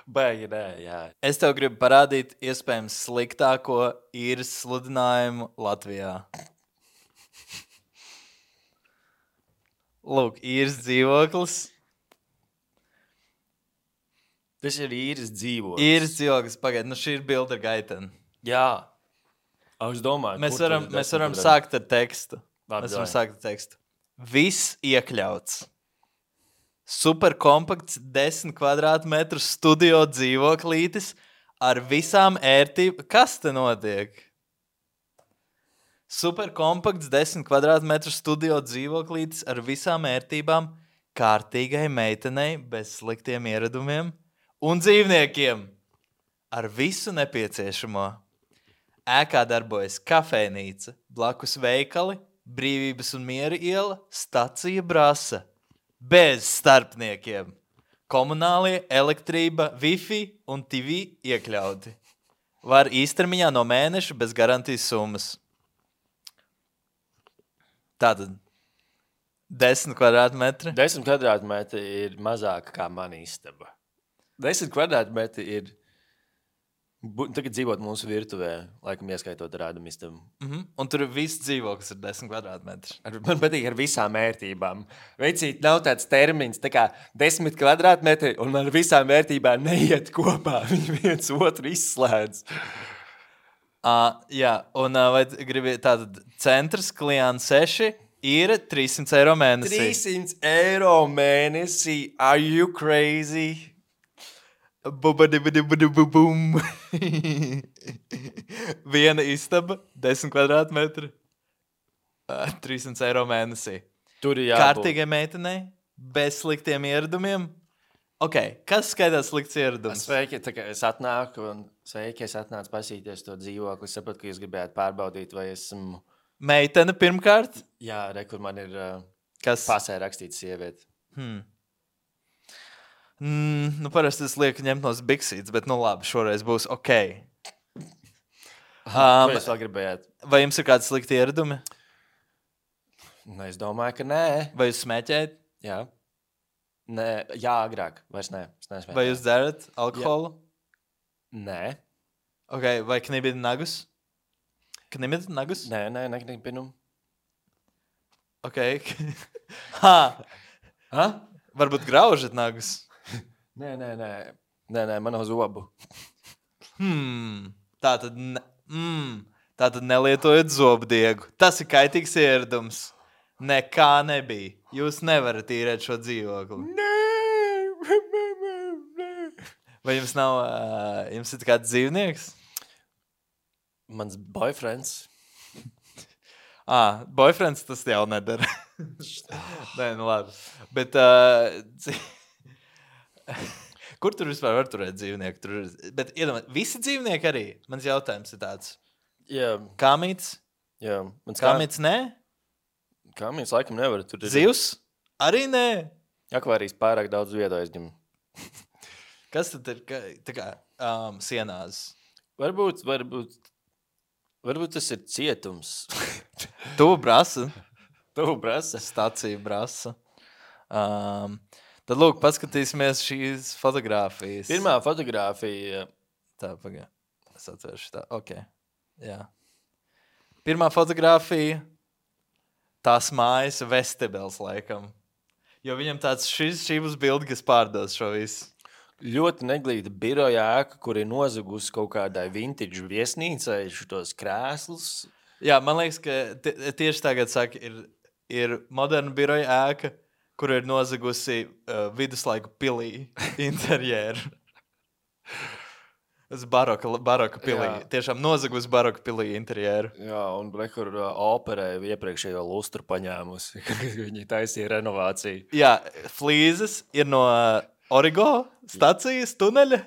Baigi, nē, jā. Es tev gribu parādīt iespējams sliktāko īres sludinājumu Latvijā. Lūk, īres dzīvoklis. Tas ir īres dzīvoklis. Īres dzīvoklis, pagaid, nu šī ir bilde ar gaiteni. Jā. A, es domāju, Mēs kur varam, tur ir mēs varam desmit sākt ar tekstu. Labi, Mēs varam davai. sākt ar tekstu. Viss iekļauts. Superkompakts desmit kvadrātmetru studio dzīvoklītis ar visām ērtībām. Kas te notiek? Superkompakts desmit kvadrātmetru studio dzīvoklītis ar visām ērtībām kārtīgai meitenei bez sliktiem ieradumiem un dzīvniekiem ar visu nepieciešamo. Ēkā darbojas kafejnīca, blakus veikali, Brīvības un Miera iela, stacija Brasa. Bez starpniekiem. Komunālie, elektrība, Wi-Fi un T V iekļauti. Var īstermiņā no mēneša bez garantijas summas. Tātad desmit kvadrātmetri. Desmit kvadrātmetri ir mazāk kā mana istaba. Desmit kvadrātmetri ir. Bu- Tagad dzīvot mūsu virtuvē, laikam ieskaitot rādumu istabu. Mhm. Un tur viss dzīvoklis ir desmit kvadrātmetri. Ar- Man patīk ar visām vērtībām. Veicīt, nav tāds termins, tā kā desmit kvadrātmetri, un ar visām vērtībām neiet kopā. Viņi viens otru izslēdz. Uh, jā, un uh, vai gribi tātad centrs, klients seši, ir trīssimts eiro mēnesī. trīssimts eiro mēnesī. Are you crazy? Bubadibadibadibubum. Viena istaba, desmit kvadrātmetri, uh, trīssimts eiro mēnesī. Tur ir jābūt. Kārtīgai meitenei, bez sliktiem ieradumiem. Ok, kas skaitās slikts ieradums? Sveiki, tā kā es atnāku un sveiki, es atnācu pasīties to dzīvokli. Es sapratu, ka jūs gribējāt pārbaudīt, vai esmu... Meitene pirmkārt. Jā, re, kur man ir uh, Kas? pasē rakstīts sieviete. Hmm. Mm, nu, parasti es lieku ņemt no biksītes, bet, nu, labi, šoreiz būs ok. Ko Um, jūs vēl gribējāt? vai jums ir kādi slikti ieradumi? Nu, es domāju, ka nē. Vai jūs smēķējat? Jā. Nē, jā, agrāk. Vairs nē. Es neesmu. Vai jūs dzerat alkoholu? Nē. Okay, vai knibid nagus? Knibid nagus? Nē, nē, neknipinu. Ok. ha! Ha? Varbūt graužat nagus? Nē, nē, nē. Nē, nē, man nav zobu. Hmm. Tā tad, ne... mm. tā tad nelietojat zobdiegu. Tas ir kaitīgs ieradums. Nekā nebija. Jūs nevarat īrēt šo dzīvokli. Nē! Vai jums nav, uh, jums ir kāds dzīvnieks? Mans boyfriends. Ah, boyfriends tas jau nedara. Nē, nu labi. Bet, uh, dzi... kur tur vispār var turēt dzīvnieku? Tur ir... Bet, iedomā, visi dzīvnieki arī? Mans jautājums ir tāds. Jā, Kāmīts? jā. Mans kā... Kāmīts nē? Kāmīts laikam nevar. Tur ir... Zivs? Arī nē? Akvārijas pārāk daudz vietu aizņem. Kas tad ir? Ka- Tā kā um, sienās. Varbūt, varbūt, varbūt tas ir cietums. Tu brasa. Tev prasa. Stacija brasa. Um, tad, lūk, paskatīsimies šīs fotogrāfijas. Pirmā fotogrāfija. Tā, pagā. Es atvēršu tā. Ok. Jā. Pirmā fotogrāfija. Tās mājas vestibels, laikam. Jo viņam tāds, šis, šī būs bilde, kas pārdos šo visu. Ļoti neglīta biroja ēka, kur ir nozagusi kaut kādai vintage viesnīcai šitos krēslus. Jā, man liekas, ka tie, tieši tagad saka, ir, ir moderna biroja ēka, kur ir nozagusi uh, viduslaiku pilī interjeru. Tas baroka, baroka pilī. Jā. Tiešām nozagusi baroka pilī interjeru. Jā, un kur uh, operēja iepriekšējo lustru paņēmusi, kad viņi taisīja renovāciju. Jā, flīzes ir no uh, Origo stacijas tuneļa.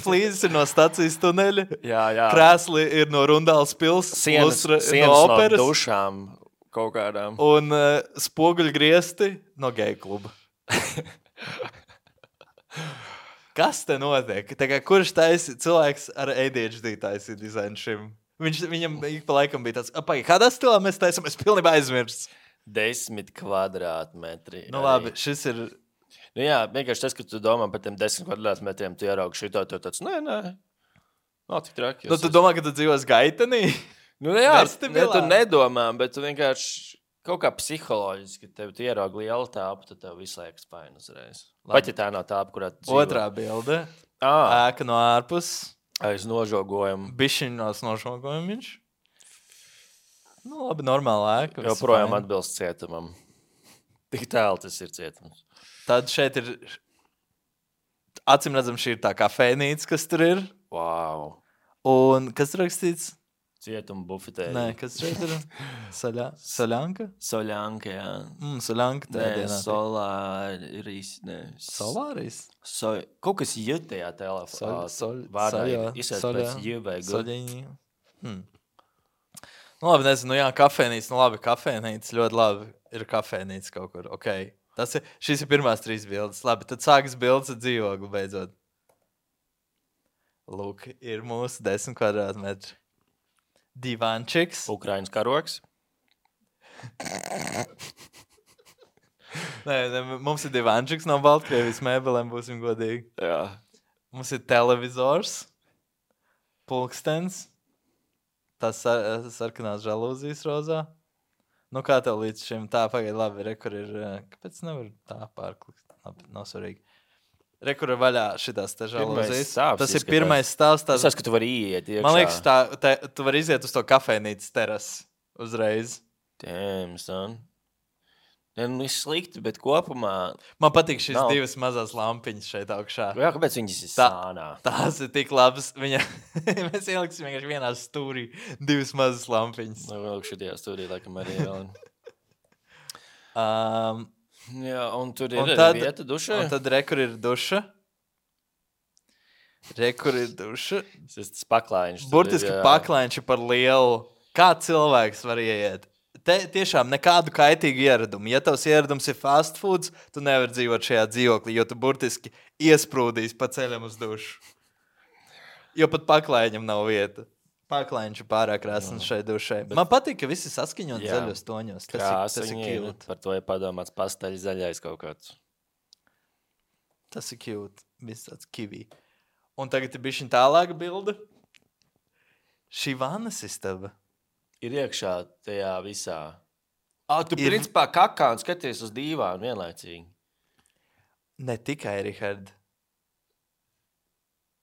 Flīzes ir no stacijas tuneļa. Jā, jā. Krēsli ir no Rundāls pils. Sienas, lustra ir sienas no no, operas. no dušām kaut kādām. Un uh, spoguļgriesti no geju kluba. Kas te notiek? Tā kā, kurš taisi cilvēks ar A D H D taisīja dizainu šim? Viņš, viņam ik pa laikam bija tāds, apai, kādā stilā mēs taisam? Es pilnībā aizmirsts. Desmit kvadrātmetri. Nu arī. labi, šis ir... Nu jā, vienkārši tas, ka tu domā par tiem desmit kvadrātmetriem, tu ieraugi šito, tu tāds, nē, nē. Nav tik traki. Nu, tu domā, ka tu dzīvos Gaitenī? Nu, jā, Vestibilā? ne, tu nedomā, bet tu vienkārši kaut kā psiholoģiski, tev tu ieraugi lielu tāpu, tad tev visu laiku spaini uzreiz. Pat ja tā nav tāpa, kurā tu dzīvo. Otrā bilde. Ā, Ēka no ārpus. aiz nožogojumu. Bišķiņos nošokojam viņš. Nu, labi, normāla ēka. viss Joprojām fine. atbilst cietumam. Tik tālu tas ir cietums. Tad šeit ir, acīm redzam, šī ir tā kafejnīca, kas tur ir. Wow. Un kas tur rakstīts? Cietuma bufetē. Nē, kas šeit ir? Saļā, saļanka? Soļanka, jā. Mm, saļanka tā Nē, dienā. solāris, nē. Solāris? So, kaut kas jūt tajā telefonā. Soļ, soļ, Vārdā soļā, izsēc soļā, pēc jūt vai gu. Soļiņi. Hmm. Nu labi, nezinu, nu jā, kafejnīca, nu labi, kafejnīca, ļoti labi. Ir kafejnīca kaut kur, ok. Tas ir, šīs ir pirmās trīs bildes. Labi, tad sākas bildes ar dzīvokli beidzot. Lūk, ir mūsu desmit kvadrātmetri. Divančiks. Ukrainas karoks. Nē, ne, mums ir divančiks no Baltkrievijas mēbelēm, būsim godīgi. Jā. Mums ir televizors, pulkstens, tas sar, sarkanās žalūzijas rozā. Nu, kā tev līdz šim tā pagaid labi, re, kur ir, kāpēc nevar tā pārklikt? Labi, nav svarīgi. Re, kur ir vaļā šitās te žalūzijas. stāvs Tas ir izskatās. pirmais stāvs. Es Tās, saprotu, ka tu vari iet iekšā. man liekas, tā, te, tu vari iziet uz to kafejnīcas terasi uzreiz. Damn, son. Ne, nu, viss slikti, bet kopumā... Man patīk šīs Nav. divas mazās lampiņas šeit augšā. Jā, kāpēc viņas ir Tā- sānā? Tās ir tik labas. Viņa... Mēs ieliksim vienkārši vienā stūrī divas mazas lampiņas. Nu, vēl šitajā stūrī, laikam, arī vēl. Um, Jā, un tur ir Un arī tad- vieta dušai. un tad re, kur ir duša. Re, kur ir duša. Tas tas paklājiņš. tur Burtiski ir, jā. paklājiņš par lielu. Kā cilvēks var ieiet te tiešām nekādu kaitīgu ieradumu. Ja tavs ieradums ir fast foods, tu nevari dzīvot šajā dzīvoklī, jo tu burtiski iesprūdīsi pa ceļam uz dušu. Jo pat paklājiņam nav vieta. Paklājiņš ir pārāk krāsns šai dušai. Bet... Man patīk, ka visi saskaņot zaļos toņos. Tas ir, tas ir cute. Par to ir padomāts pastaļi zaļais kaut kāds. Tas ir cute. Viss tāds kivī. Un tagad ir bišķiņ tālāka bilde. Šī vannas istaba. Ir iekšā tajā visā. Ah, tu ir... principā kakā un skaties uz dīvānu vienlaicīgi. Ne tikai, Richard.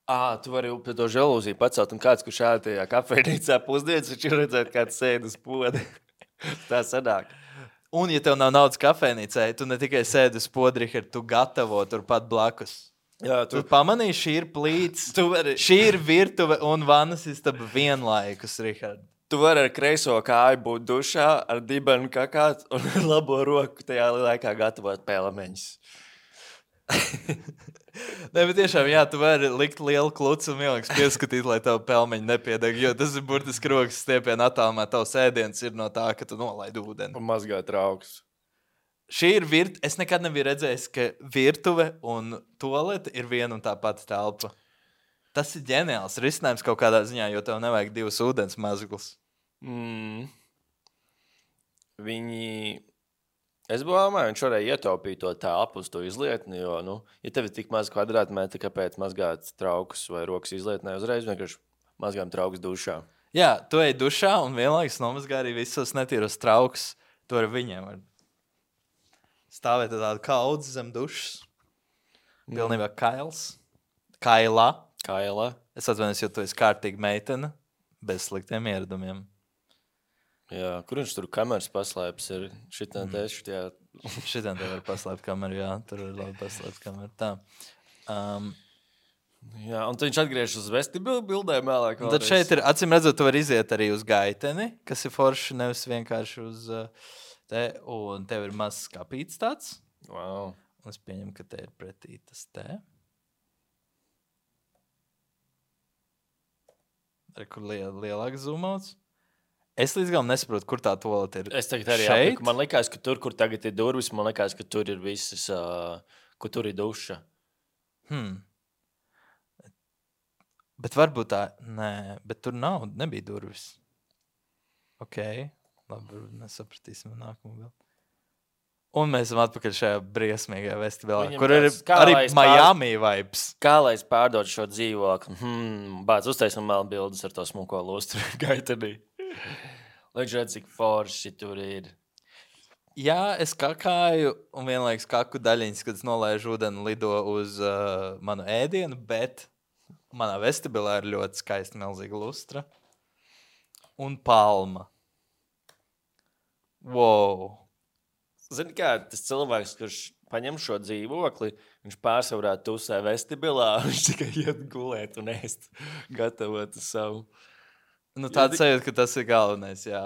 Ah, tu vari pie to žalūziju pacelt, un kāds, kurš šādi tajā kafejnīcā pusdienas, viņš ir redzēt, kāds sēd uz poda. Tā sanāk. Un, ja tev nav naudas kafejnīcai, tu ne tikai sēdi uz poda, Richard, tu gatavo turpat blakus. Jā, tu... tu pamanīji, šī ir plīts, vari... šī ir virtuve un vannas istaba vienlaikus, Richard. Tu vari ar kreiso kāju būt dušā, ar dibenu kakāt un ar labo roku tajā laikā gatavot pēlameņus. Nē, bet tiešām, jā, tu vari likt lielu klucu un vienlaikus pieskatīt, lai tavu pelmeņu nepiedeg, jo tas ir burtiski rokas stiepiena attālumā. Tavs ēdiens ir no tā, ka tu nolaidi ūdeni. Un mazgā trauks. Šī ir virtuve. Es nekad nebiju redzējis, ka virtuve un tualete ir viena un tā pati telpa. Tas ir ģeniāls risinājums kaut kādā ziņā, jo tev nevajag divus ūdens mazglus. Mm. Viņi... Es domāju, viņš varēja ietaupīt to telpu uz to izlietni, jo, nu, ja tev ir tik maz kvadrātmetri, kāpēc mazgāt traukus vai rokas izlietnē, uzreiz vienkārši mazgām traukus dušā. Jā, tu ej dušā un vienlaikus nomazgā arī visos netīros traukus. To ar viņiem var stāvēt tādu kaudzi zem dušas. Pilnībā kails. Kailā. Kailā. Es atvainojos, jo tu esi kārtīga meitene bez sliktiem ieradumiem. Jā, kur viņš tur kameras paslēpes ir? Šitā mm. te, šitā... Šitā te var paslēpt kameru, jā. Tur ir labi paslēpt kameru. Tā. Um, jā, un tad viņš atgriežas uz vestibilu bildēm vēlāk. Tad šeit ir, acīm redzot, tu var iziet arī uz gaiteni, kas ir forši, nevis vienkārši uz te, un tev ir mazs skapīts tāds. Wow. Un es pieņemu, ka te ir pretī tas te. Ar kur liel, lielāks zoomauts. Es līdz galam nesaprotu, kur tā tualete ir. Es tagad arī šeit. Apliku. Man likās, ka tur, kur tagad ir durvis, man likās, ka tur ir visas, uh, kur tur ir duša. Hmm. Bet varbūt tā, nē, bet tur nav, nebija durvis. Ok, labi, nesapratīsim nākamo vēl. Un mēs esam atpakaļ šajā briesmīgajā vestibilā, Viņam kur ir tāds, kā arī lai es Miami vibes. Kā lai es pārdodu šo dzīvokli? Hmm, bāc, uztaisim vēl bildes ar to smuko lustru gaitenī. Lai viņš redz, cik forši tur ir. Jā, es kakāju un vienlaiks kaku daļiņas, kad es nolaižu ūdeni lido uz uh, manu ēdienu, bet manā vestibilā ir ļoti skaista milzīga lustra. Un palma. Wow. Zini kā, tas cilvēks, kurš paņem šo dzīvokli, viņš pārsvarā tusē vestibilā, viņš tikai iet gulēt un ēst, gatavot savu. Nu, tāds sajūt, ka tas ir galvenais, jā.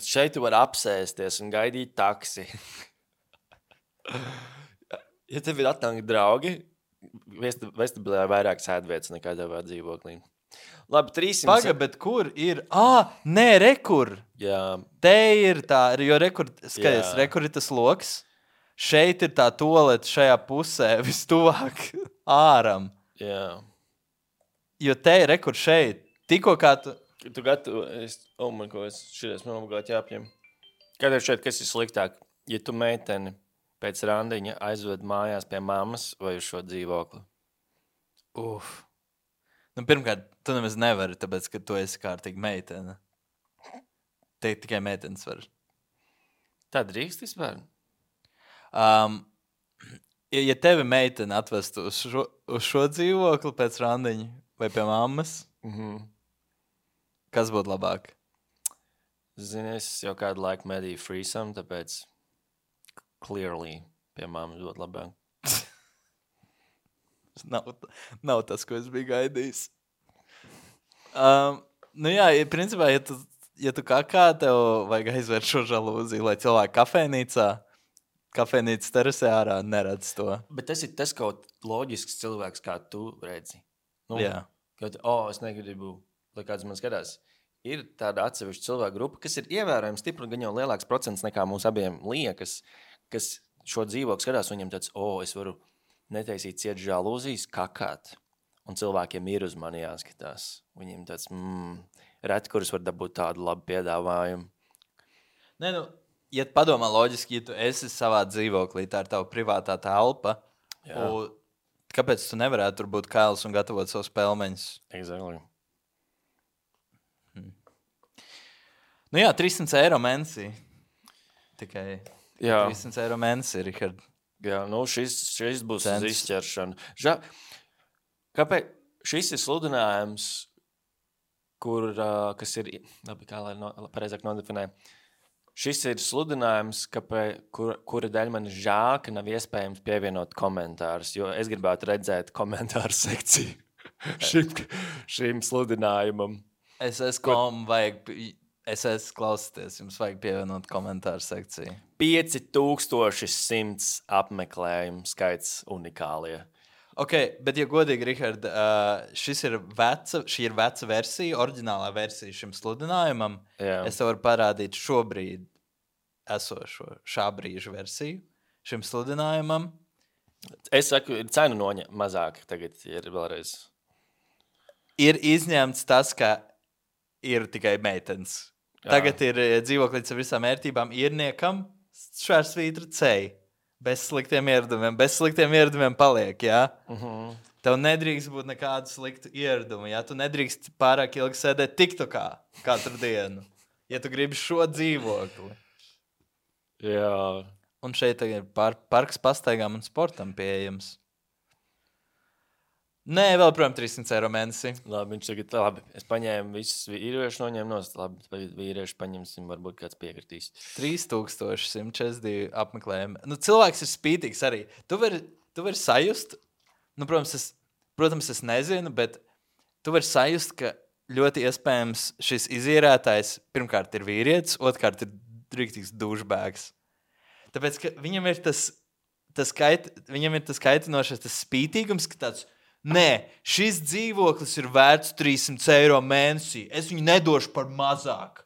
Šeit tu vari apsēsties un gaidīt taksi. Ja tev ir atnākt draugi, vestibilā ir vairāk sēdvietas nekā tavā dzīvoklī. Labi, trīsimt... Paga, bet kur ir? Ā, nē, rekur. Jā. Te ir tā, jo rekur, skaties, rekur ir tas loks. Šeit ir tā tualete šajā pusē, vistuvāk āram. Jā. Jo te ir rekur šeit. Tikko kā tu... Tu gatavu, es, oh man, ko es šies man obligāti jāpņem. Kad ir šeit, kas ir sliktāk? Ja tu meiteni pēc randiņa aizved mājās pie mammas vai uz šo dzīvokli? Uf. Nu, pirmkārt, tu nemaz nevari, tāpēc, ka tu esi kārtīgi meitene. Te tikai meitenes var. Tā drīkst vispār? Um, ja, ja tevi meitene atvestu uz šo, uz šo dzīvokli pēc randiņa vai pie mammas, Mhm. kas būtu labāk? Zini, es jau kādu laiku medīju freesam, tāpēc clearly pie mammas būtu labāk. Nav, nav tas, ko es biju gaidījis. Um, nu jā, ja, principā, ja tu, ja tu kakā, tev vajag aizvērt šo žalūziju, lai cilvēki kafejnīcā, kafejnīcas terasē ārā neredz to. Bet tas ir tas kaut loģisks cilvēks, kā tu redzi. Nu, Jā. Kad, oh, es negribu, lai kāds man skatās. ir tāda atsevišķa cilvēku grupa, kas ir ievērojami stipri, gan jau lielāks procents nekā mums abiem liekas, kas šo dzīvokli skatās, un viņam tāds, o, es varu netaisīt ciet žalūzijas, kakāt. Un cilvēkiem ir uz mani jāskatās. Viņiem tāds, mm, reti, kurus var dabūt tādu labu piedāvājumu. Nē, nu, ja padomā loģiski, ja tu esi savā dzīvoklī, tā ir tava privātā telpa, un kāpēc tu nevarētu tur būt kails un gatavot savus pelmeņus? Exactly. Hmm. Nu jā, trīssimts eiro mēnesī. Tikai jā. trīssimts eiro mēnesī, Rihard. Jā, nu šis, šis būs Cents. uz izķeršanu. Ža, kāpēc šis ir sludinājums, kur, uh, kas ir, labi, kā lai no, pareizāk nodefinē, šis ir sludinājums, kāpēc, kur, kura dēļ man žēl, ka nav iespējams pievienot komentārus, jo es gribētu redzēt komentāru sekciju šim, šim sludinājumam. Es esmu kom, vajag, es esmu klausīties, jums vajag pievienot komentāru sekciju. pieci tūkstoši simts apmeklējumu skaits unikālie. Ok, bet, ja godīgi, Rihard, uh, šis ir veca, šī ir veca versija, oriģinālā versija šim sludinājumam. Jā. Es tev varu parādīt šobrīd esošo šā brīža versiju šim sludinājumam. Es saku, ir cenu noņa mazāk tagad ir vēlreiz. Ir izņemts tas, ka ir tikai meitenes. Jā. Tagad ir dzīvoklīts ar visām ērtībām īrniekam, šārsvītra ceļ. Bez sliktiem ieradumiem, bez sliktiem ieradumiem paliek, jā? Uh-huh. Tev nedrīkst būt nekādu sliktu ieradumu, jā? Tu nedrīkst pārāk ilgi sēdēt tiktokā katru dienu, ja tu gribi šo dzīvokli. Jā. Un šeit ir par, parks pastaigām un sportam pieejams. Nē, vēl, protams, trīssimts eiro mēnesī. Labi, viņš tagad, labi, es paņēmu visus vīriešu noņēmu nost, labi, vīriešu paņemsim, varbūt kāds piekritīs. trīs tūkstoši simt četrdesmit divi apmeklējumi. Nu, cilvēks ir spītīgs arī. Tu vari, tu vari sajust, nu, protams es, protams, es nezinu, bet tu vari sajust, ka ļoti iespējams šis izīrētājs pirmkārt ir vīrietis, otrkārt ir rīktīgs dušbēgs. Tāpēc, ka viņam ir tas, tas, kait, viņam ir tas kaitinošais, tas spītīgums, ka tāds, nē, šis dzīvoklis ir vērts trīssimts eiro mēnesī. Es viņu nedošu par mazāk.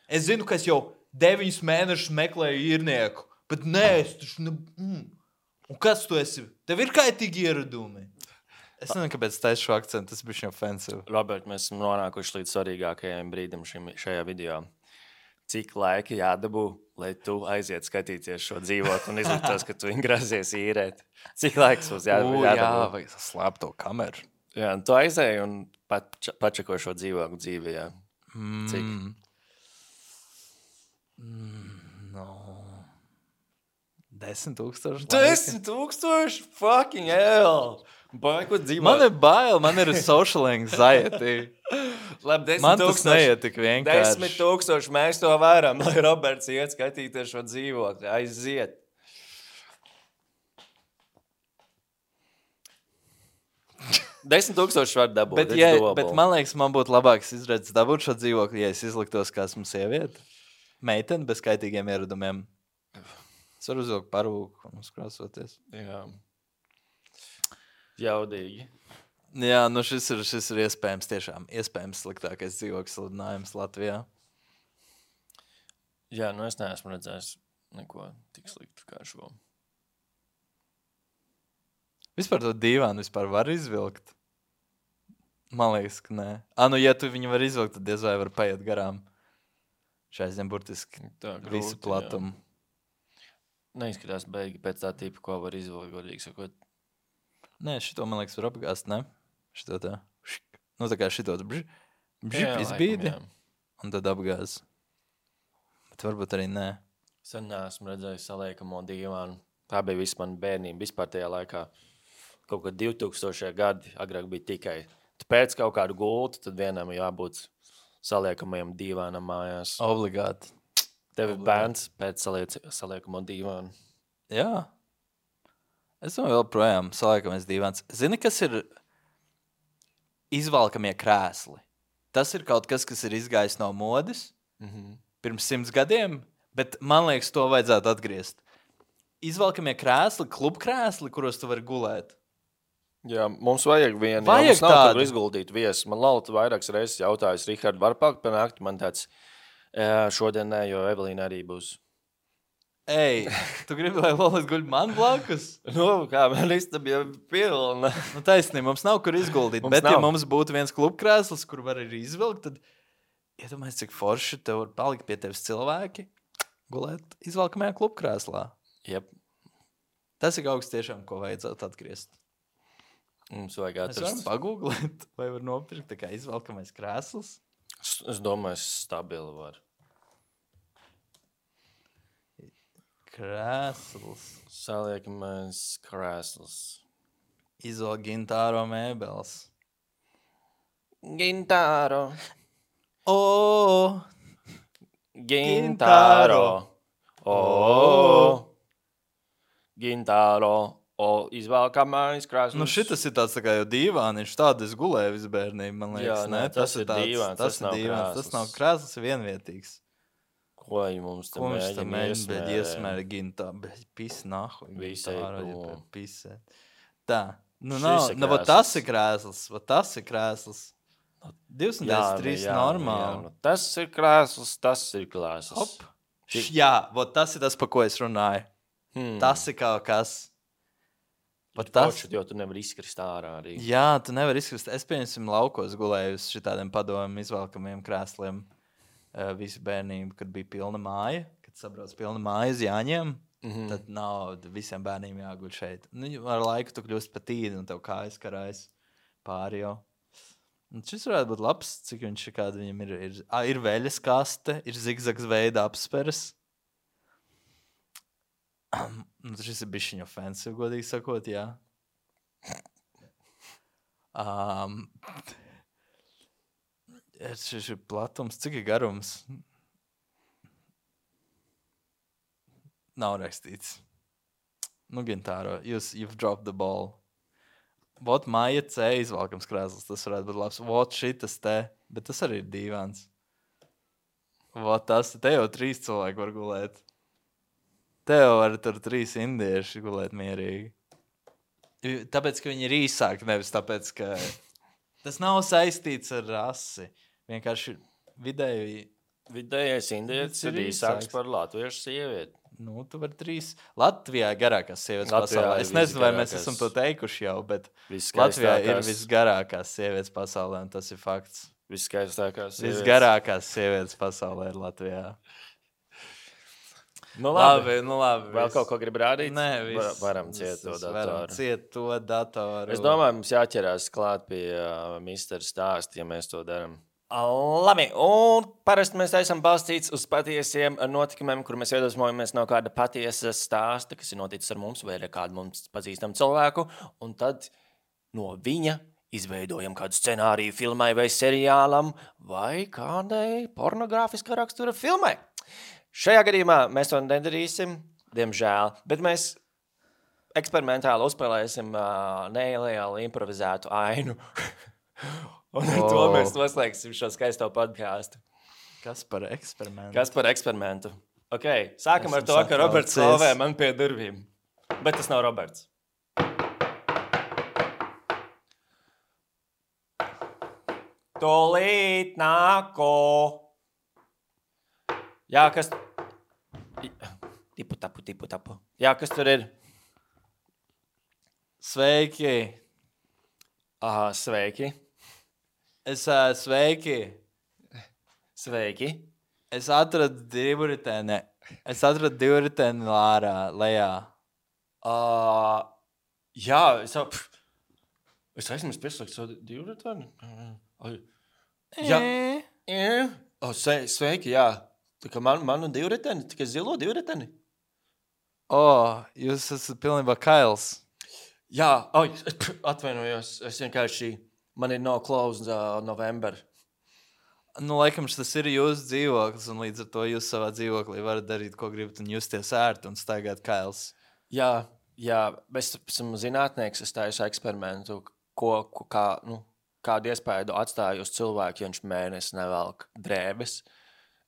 Es zinu, ka es jau deviņus mēnešus meklēju īrnieku, bet nē, es taču ne... Mm. Un kas tu esi? Tev ir kaitīgi ieradumi. Es nezinu, kāpēc taisu šo akcentu, tas bija šim offensive. Robert, mēs esam nonākuši līdz svarīgākajam brīdim šim, šajā video. Cik laika jādabū, lai tu aiziet skatīties šo dzīvokli un izliktos, ka tu viņu grazies īrēt? Cik laiks mums jā, U, jādabū? Jā, vajag slēpt to kameru. Jā, un tu aizēji un pat, pačako šo dzīvokli dzīvi, jā. Cik? Mm. Mm, no. Desmit tūkstoši. Desmit tūkstoši? Fucking hell! Bai, ko dzīvo? Man ir bail, man ir social anxiety. Labi, desmit Man tas tūkstoši. neiet tik vienkārši. Desmit tūkstoši mēs to varam, lai Roberts iet skatīties šo dzīvokli. Aiziet. Desmit tūkstoši var dabūt. Bet, ja, bet man liekas, man būtu labāks izredzes dabūt šo dzīvokli, ja es izliktos kā esmu sieviete. Meitene bez kaitīgiem ieradumiem. Es varu uzvilkt parūku un uzkrāsoties. Jā. Jaudīgi. Jā, nu šis ir, šis ir iespējams tiešām iespējams sliktākais dzīvokļu sludinājums Latvijā. Jā, nu es neesmu redzējis neko tik sliktu kā šo. Vispār to dīvānu vispār var izvilkt? Man liekas, ka nē. A, nu ja tu viņu var izvilkt, tad diez vai var paiet garām. Šai zem burtiski Tā grūti, visu platumu. Jā. Neizskatās beigi pēc tā tipa, ko var izvilkt, godīgi sakot. Nē, šito, man liekas, var apgāzt, ne? Šito tā. Šik. Nu, tā kā šito bžip, bžip izbīdi. Laikam, Un tad apgāz. Bet varbūt arī nē. Sen neesmu redzējis saliekamo dīvānu. Tā bija viss man bērnība. Vispār tajā laikā kaut kad divtūkstošie gadi agrāk bija tikai. Tu pēc kaut kādu gultu, tad vienam jābūt saliekamajam dīvānam mājās. Obligāti. Tev ir obligāti. bērns pēc saliec, saliekamo dīvānu. Jā. Es domāju, vēl projām saliekamies dīvāns. Zini, kas ir izvalkamie krēsli? Tas ir kaut kas, kas ir izgājis no modes Mhm. pirms simts gadiem, bet man liekas, to vajadzētu atgriezt. Izvalkamie krēsli, klubkrēsli, kuros tu vari gulēt. Jā, mums vajag vienu. Vajag jā, mums nav tādu. kur izguldīt viesu. Man Lalta vairākas reizes jautājis, Rihard, var pakt pa nakti? Man tāds, jā, šodien nē, jo Evelīna arī būs. Ej, tu gribi, lai Lolis guļ man blakus? Nu, kā man istaba jau pilna. Nu, taisnība, mums nav kur izguldīt, Mums bet nav. ja mums būtu viens klubkrēsls, kur var arī izvilkt, tad iedomājies, cik forši tev var palikt pie tevis cilvēki gulēt izvelkamajā klubkrēslā. Jep, Tas ir kaut kas tiešām, ko vajadzētu atgriezt. mums vajag Mēs varam atrast. pagūglēt, vai var nopirkt tā kā izvelkamais krēsls. Es, es domāju, es stabili var. Krēsls. Saliekamais krēsls. Izvēl gintāro mēbeles. Gintāro. O, Gintāro. O. Gintāro. O. Izvēlkamais krēsls. nu šitas ir tāds tā kā jau dīvāniņš, tādu es gulēju visu bērnību, man liekas. Jā, nē, ne? tas ir tāds- dīvāns, tas tas ir nav dīvāns, tas krēsls. nav krēsls, ir vienvietīgs. Ko viņi mums te Ko viņš tam mēģina mēģina, bet iesmērēt? iesmēra gintā, bet pis nahu. Visai prom. Pisē. Tā, nu Šis nav, ir nu, vot krēsls. tas ir krēsls, vot tas ir krēsls. Jā, divdesmit nu, trīs jā, nu, jā, normāli. nu, tas ir krēsls, tas ir krēsls. Hop. Š- Jā, vot tas ir tas, pa ko es runāju. Hmm. Tas ir kaut kas. Vot Tas tas. ir, jo tu nevari izkrist ārā arī. Jā, tu nevari izkrist. Es, pieņemsim, laukos gulēju uz šitādiem padomiem izvelkamiem krēsliem uh, visu bērnību, kad bija pilna māja, kad sabrauc pilna māja uz Jāņiem. Mhm. Tad nav visiem bērniem jāguļ šeit. Nu, ar laiku tu kļūst pat tīdi un tev kājas karājas pāri jau. Un šis varētu būt labs, cik viņš ir, kāda viņam ir. Ir, ā, ir veļas kaste, ir zigzags veida apsperes. Nu, šis ir bišķiņ offensive, godīgi sakot, jā. Um, šis ir platums, cik ir garums? Nav rakstīts. Nu, Gintāro, jūs, you've dropped the ball. Vot Maija C izvalkams krēsls, tas varētu būt labs. Vot šitas te, bet tas arī ir dīvāns. Vot tas, te jau trīs cilvēki var gulēt. Te jau var tur trīs indieši gulēt mierīgi. I- Tāpēc, ka viņi ir īsāki, nevis tāpēc, ka tas nav saistīts ar rasi. Vienkārši vidēji, Vidējais indietis Tas ir ir īsāks īsāks. par latviešu sievieti. nu, tu vari trīs. Latvijā ir garākās sievietes Latvijā pasaulē. ir Es nezinu, vai mēs visgarākās. esam to teikuši jau, bet Viskaistākās- Latvijā ir visgarākās sievietes pasaulē, un tas ir fakts. Viskaistākās sievietes. Visgarākās sievietes pasaulē ir Latvijā. Nu, labi. nu labi. Vēl kaut ko grib rādīt? Nē, Va- viss. Varam ciet Viss, to viss, varam datoru. ciet to datoru. Es domāju, mums jāķerās klāt pie uh, mister Stāsta, ja mēs to darām. Labi, un parasti mēs esam balstīts uz patiesiem notikumiem, kur mēs iedvesmojamies no kāda patiesa stāsta, kas ir noticis ar mums vai ar kādu mums pazīstamu cilvēku, un tad no viņa izveidojam kādu scenāriju filmai vai seriālam vai kādai pornogrāfiskā rakstura filmai. Šajā gadījumā mēs to nedarīsim, diemžēl, bet mēs eksperimentāli uzspēlēsim uh, nereāli improvizētu ainu. Un ar to Oh. mēs noslēgsim šo skaisto podkāstu. Kas par eksperimentu? Kas par eksperimentu? Okay, sākam ar Esmu to, ka Roberts satraucies. stāvē man pie durvīm. Bet tas nav Roberts. Tolīt nāko. Jā, kas... Tipu tapu, tipu tapu. Jā, kas tur ir? Sveiki! Aha, sveiki. Es uh, sveiki! Sveiki. Es atradu divriteni. Es atradu divriteni lārā, lejā. Uh, jā, es jau... Es aizmirsu pieslēgt savu divriteni. Jā. Jā. O, sve, sveiki, jā. Tā kā man, man un divriteni, tikai zilo divriteni. O, jūs esat pilnībā kails. Jā, oi, atvainojos, es vienkārši, man ir no close uh, November. Nu, laikam, tas ir jūsu dzīvoklis, un līdz ar to jūs savā dzīvoklī varat darīt, ko gribat, un justies ērti un staigāt kails. Jā, jā, es esmu zinātnieks, es taisu eksperimentu, ko, ko kā, nu, kādu iespēju atstāju uz cilvēku, ja viņš mēnesi nevelk drēbes.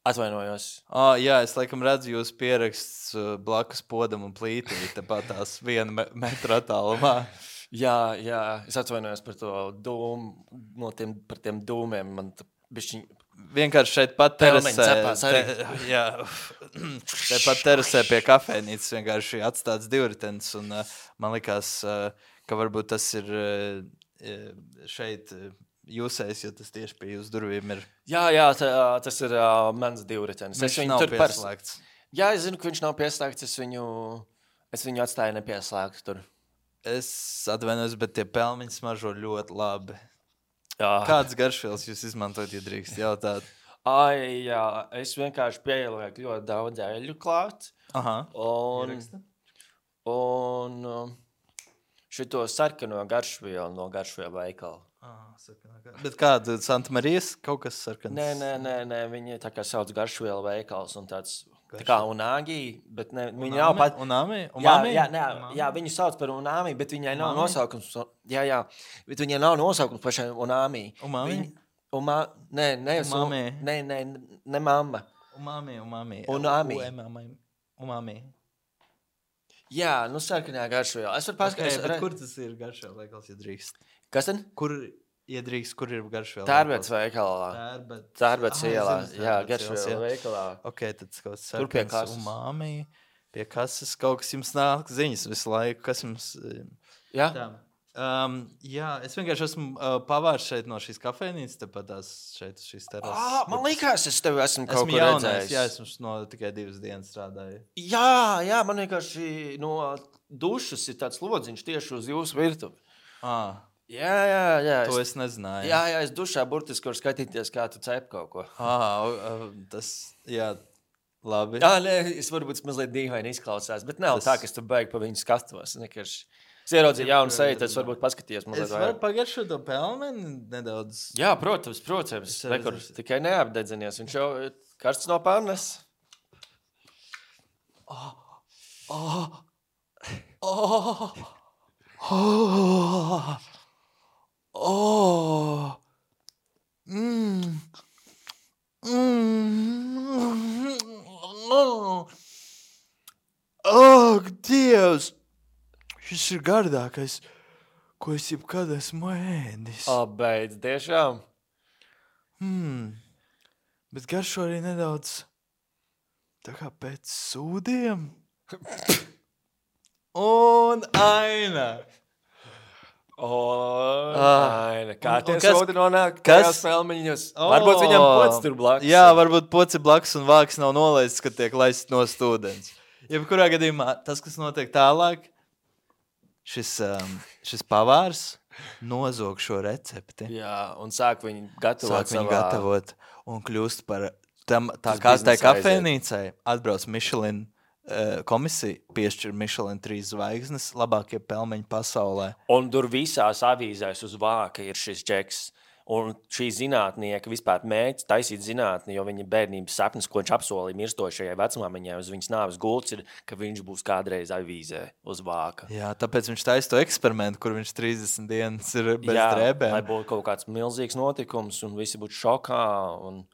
Atvainojos. O, jā, es laikam redzu jūs pieraksts uh, blakus podam un plītī, tepat tās viena me metra attālumā. Jā, jā, es atvainojos par to dūmu, no tiem, par tiem dūmiem. Man bišķiņ... Vienkārši šeit pat Pelmeņi terasē, cepās arī. te, jā, te pat terasē pie kafejnīcas vienkārši atstāts divritenis, un uh, man likās, uh, ka varbūt tas ir uh, šeit uh, jūsējs, jo tas tieši pie jūsu durvīm ir. Jā, jā, tā, tas ir uh, mans divritenis. Viņš nav pieslēgts. Pers... Jā, es zinu, ka viņš nav pieslēgts, es viņu, es viņu atstāju nepieslēgtu tur. Es atvainojos, bet tie pelmeņi smaržo ļoti labi. Jā. Kāds garšvielas jūs izmantojat, ja drīkst jautāt? Ai, jā, es vienkārši pielieku ļoti daudz eļļu klāt. Aha. Un, Ieraksta. un um, šito sarkano garšvielu no garšvielu veikala. Ah, sarkanā. Bet kāda Santa Marijas kaut kas sarkans? Nē, nē, nē, nē, viņi tā kā sauc garšvielu veikals un tāds, tā kā unagi, bet ne, viņi nav pat... Unami? Jā, Umami? jā, nē, Umami? jā, viņi sauc par unami, bet viņai nav Umami? nosaukums. Jā, jā, bet viņai nav nosaukums pašai unami. Umami? Viņi, uma, nē, nē, Umami? nē, nē, ne mamma. Umami, umami. Unami. Umami. Umami. Jā, nu sarkanā garšviela. Es varu paskatīties. Okay, bet kur tas ir garšviela veikals, ja drīkst? Kas tad? Kur iedrīkst, kur ir garšviela Tērbets veikals? veikalā. Tērbets. Tērbets Ah, ielā. es zinu, Jā, Tērbets ielas, garšviela jā. veikalā. Ok, tad kaut kas Tur pie sarkans. kases. Umami. Pie kases kaut kas jums nāk ziņas visu laiku. Kas jums... eh, Jā? Tā. Um, jā, es vienkārši esmu uh, pavārs šeit no šīs kafejnīcas, tepat tās šeit uz šīs terases. Ah, man liekas, es tevi esmu kaut Esmu kur jaunais, redzējis. jā, esmu no tikai divas dienas strādāju. Jā, jā, man vienkārši no dušas ir tāds lodziņš tieši uz jūsu virtuvi. Ah, Jā, jā, jā. to Es, es nezināju. jā, jā, es dušā burtiski varu skatīties, kā tu cep kaut ko. Ah, uh, tas, jā, labi. Jā, nē, es varbūt mazliet dīvaini izklausās, bet nav Tas- tā, ka es tu beigi pa viņu skatos. Nekarši. Es ieraudzīju jaunu seju, tad es varbūt paskatījos mazliet Es varu vairāk. pagaršot to pelmeni nedaudz. Jā, protams, protams. Es Rekur, redzu. tikai neapdedzinies. Viņš jau ir karsts no pannas. Oh, oh, oh, oh, mm, mm, oh, oh, Dievs! Šis ir gardākais, ko es jebkad esmu ēdis. O, beidz, tiešām. Hmm. Bet garšo arī nedaudz tā kā pēc sūdiem. Un aina. O, Ah. aina. Kā Un- tie un kas- sūdi nonāk kas- tajās pelmeņos? O. Varbūt viņam pots tur blakus. Jā, varbūt poci blakus un vāks nav nolaists, kad tiek laists no stūdens. Jebkurā gadījumā tas, kas notiek tālāk, šis, um, šis pavārs nozog šo recepti. Jā, un sāk viņu gatavot Sāk viņu savā... gatavot un kļūst par tam, tā Tas kā tai biznesa aiziet. kafejnīcai atbrauc Michelin uh, komisija, piešķir Michelin trīs zvaigznes, labākie pelmeņi pasaulē. Un tur visās avīzēs uz vāka ir šis džeks. Un šī zinātnieka vispār mēģina taisīt zinātni, jo viņa bērnības sapnis, ko viņš apsolīja mirstošajai vecmāmiņai uz viņas nāves gults, ir, ka viņš būs kādreiz avīzē uz vāka. Jā, tāpēc viņš taisa to eksperimentu, kur viņš trīsdesmit dienas ir bez Jā, drēbēm. lai būtu kaut kāds milzīgs notikums, un visi būtu šokā. Un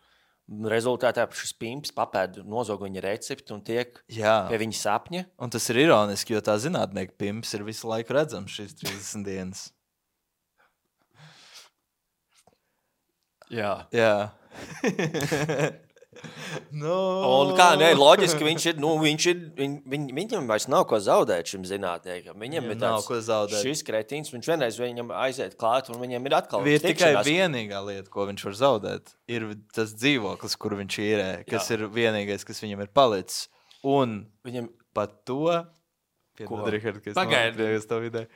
rezultātā šis pimps papēd nozog viņa recepti un tiek Jā, pie viņa sapņa. un tas ir ironiski, jo tā zinātnieka pimps ir visu laiku redzams šīs trīsdesmit dienas. Jā. Jā. no. Un kā, nē, loģiski viņš ir, nu, viņš ir, viņ, viņ, viņam vairs nav ko zaudēt šim zinātniekam. Viņam Viņam ir nav tāds, ko zaudēt. šis kretīns, viņš vienreiz viņam aiziet klāt, un viņam ir atkal Ir tikai tikšanās. vienīgā lieta, ko viņš var zaudēt. Ir tas dzīvoklis, kur viņš īrē, kas Jā. ir vienīgais, kas viņam ir palicis. Un Viņam, pat to, Ko? piedod, Rihard, ka es Pagaidi. nokļuvu uz to vidē.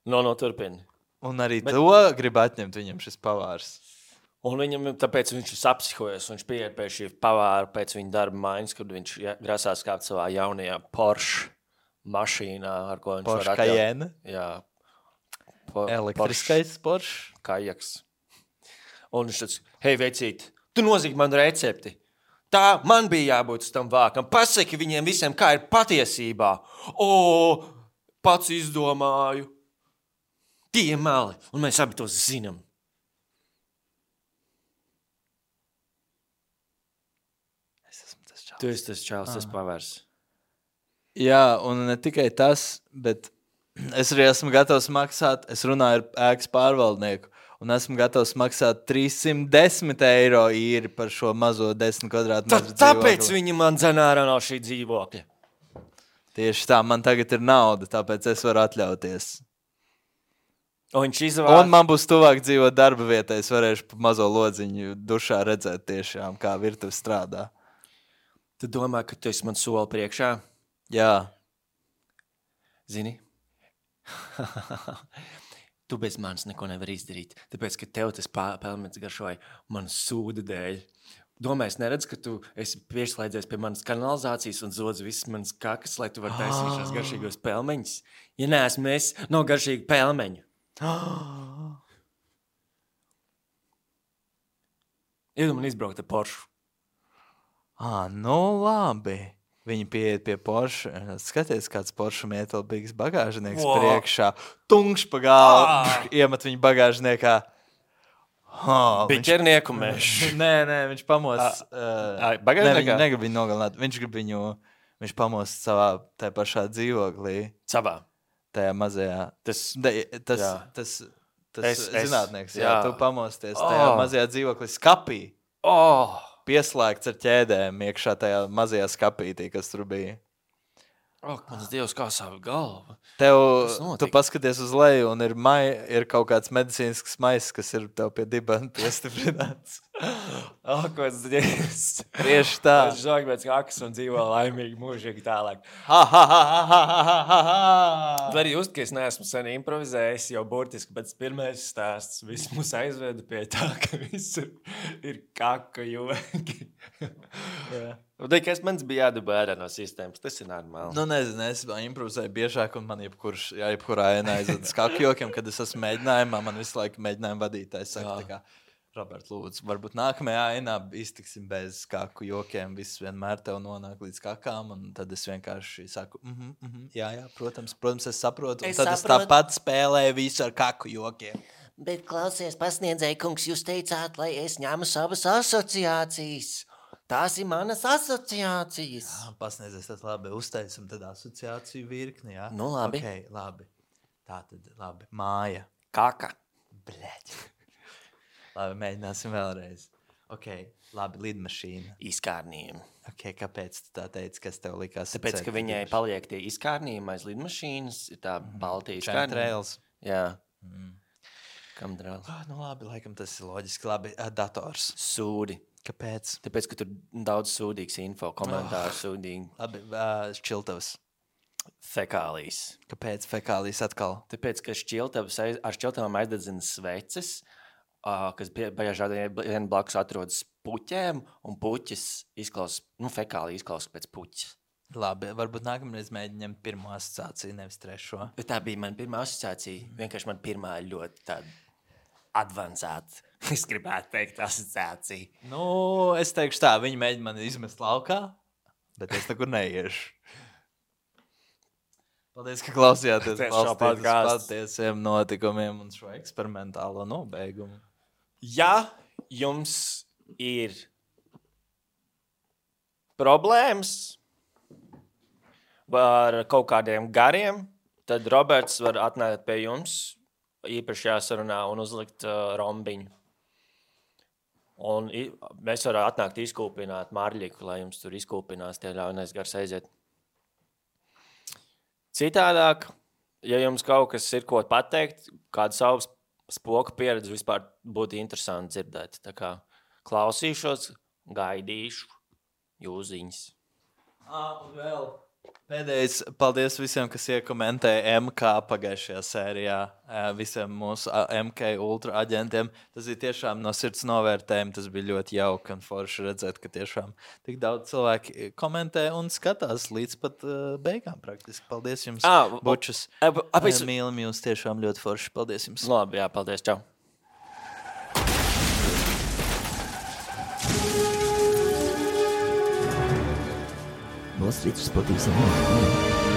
no, no turpina. Un arī Bet- Bet... to grib atņemt viņam šis pavārs. Un viņam, tāpēc viņš ir sapsihojies, un viņš pieiet pie šī pavāra pēc viņa darba maiņas, kad viņš ja, grasās kāpt savā jaunajā Porsche mašīnā, ar ko viņš Porsche var atļaut. Cayenne, Jā. Po, elektriskais Porsche. Kajaks. Un viņš tāds, hei, vecīt, tu nozīmi man recepti. Tā man bija jābūt uz tam vākam. Pasaki viņiem visiem, kā ir patiesībā. O, pats izdomāju. Tie meli, un mēs abi to zinām. Es esmu tas Tu esi tas čāls, tas pavērs. Jā, un ne tikai tas, bet Es arī esmu gatavs maksāt, es runāju ar ēkas pārvaldnieku, un esmu gatavs maksāt trīssimt desmit eiro īri par šo mazo desmit kvadrātmetru dzīvokli. Tāpēc viņi man dzen ārā no šī dzīvokļa. Tieši tā, man tagad ir nauda, tāpēc es varu atļauties. Un viņš izvāc... Un man būs tuvāk dzīvot darba vietā, es varēšu pa mazo lodziņu dušā redzēt tiešām, kā virtuve strādā. Tu domā, ka tu esi man soli priekšā? Jā. Zini? Tu bez manis neko nevar izdarīt, tāpēc, ka tev tas pelmens garšoja manas sūda dēļ. Domā, es neredzu, ka tu esi pieslēdzies pie manas kanalizācijas un zodz visas manas kakas, lai tu vari taisīt šos garšīgos pelmeņus. Ja neesmu es, nav garšīgu pelmeņu. Iedu man izbraukt ar Porsche. Ā, nu labi. Viņi pieiet pie Porsche. Skaties, kāds Porsche mietalbīgs bagāžnieks wow. priekšā. Tungš pa galvu. Ah. Iemet viņu bagāžniekā. Oh, Biķernieku mēs. Nē, nē, viņš pamos. Uh, bagāžniekā? Ne, negrib viņu nogalināt. Viņš grib viņu, viņš pamos savā, tajā pašā dzīvoklī. Savā? Tajā mazajā. Tas, de, tas, jā. tas, tas es, zinātnieks, jā. jā. Tu pamosties oh. tajā mazajā dzīvoklī skapī. Oh. Pieslēgts ar ķēdēm iekšā tajā mazajā skapītī, kas tur bija. Ak, mans Dievs, kā savu galvu. Tev, tu paskaties uz leju un ir, mai, ir kaut kāds medicīnisks maiss, kas ir tev pie dibana piestiprināts. Ak, mans Dievs. Tieši tā. Es žāk pēc kakas un dzīvo laimīgi mūžīgi tālāk. Ha, ha, ha, ha, ha, ha, ha, ha. Tu arī just, ka es neesmu sen improvizējis, jau burtiski pēc pirmais stāsts. Viss mūs aizveda pie tā, ka visur ir kaka joki. Jā. Kas mans bija jādabā ārā no sistēmas, tas ir normāli. Nu, nezinu, es improvizēju biežāk, un man jebkurš, jā, jebkurā ēnā aizved skaku jokiem, kad es esmu mēģinājumā, man visu laiku mēģinājumu vadītājs saka, tā kā, Robert, lūdzu, varbūt nākamajā ēnā iztiksim bez skaku jokiem, viss vienmēr tev nonāk līdz kakām, un tad es vienkārši saku, mhm, mhm, jā, jā, protams, protams, es saprotu, un es tad saprotu. es tāpat spēlēju visu ar kaku jokiem. Bet klausies, pasniedzēji, kungs, jūs teicāt, lai es ņemu savas asociācijas. Tās ir manas asociācijas. Jā, pasniedzies, tad labi, uztaisim tad asociāciju virkni, jā? Nu, labi. Ok, labi. Tā tad, labi, māja. Kaka. Bļeķ. Labi, mēģināsim vēlreiz. Ok, labi, lidmašīna. Izkārnījumi. Ok, kāpēc tu tā teici, kas tev likās? Tāpēc, ka viņai paliek tie izkārnījumi aiz lidmašīnas, ir tā baltī izkārnījumi. Chemtrails. Jā. Mm. Kamdrails. Oh, nu labi, laikam tas ir loģiski. Labi, dators. Sūdi. Kāpēc? Tāpēc, ka tur daudz sūdīgs info, komentāru oh. sūdīgi. Labi, uh, šķiltavas. Fekālijas. Kāpēc fekālijas atkal? Tāpēc, ka šķiltavas aiz, ar šķiltavām aizdedzina sveces, uh, kas bieži vien blakus atrodas puķēm, un puķis izklausās, nu, fekālija izklausās pēc puķis. Labi, varbūt nākamreiz mēģinām pirmo asociāciju, nevis trešo. Tā bija man pirmā asociācija. Vienkārši man pirmā ļoti tāda advancēta. Es gribētu teikt asociāciju. Nu, es teikšu tā, viņi mēģina mani izmest laukā, bet es nekur neiešu. Paldies, ka klausījāties balstīt uz patiesiem notikumiem un šo eksperimentālo nobeigumu. Ja jums ir problēmas ar kaut kādiem gariem, tad Roberts var atnākt pie jums īpaši jāsarunā un uzlikt uh, rombiņu. Un i, mēs varam atnākt izkūpināt marļiku, lai jums tur izkūpinās tie ļaunais gars aiziet. Citādāk, ja jums kaut kas ir ko pateikt, kādu savu spoku pieredzi vispār būtu interesanti dzirdēt. Tā kā klausīšos, gaidīšu jūziņas. Ah, un vēl pēdējais, paldies visiem, kas iekomentē M K pagājušajā sērijā, visiem mūsu M K ultra aģentiem. Tas ir tiešām no sirds novērtējumi, tas bija ļoti jauki un forši redzēt, ka tiešām tik daudz cilvēki komentē un skatās līdz pat uh, beigām praktiski. Paldies jums, ah, bučus. Ap, ap, ap, Mīlam jūs tiešām ļoti forši. Paldies jums. Labi, jā, paldies, čau. Wall Street Sporting Salon.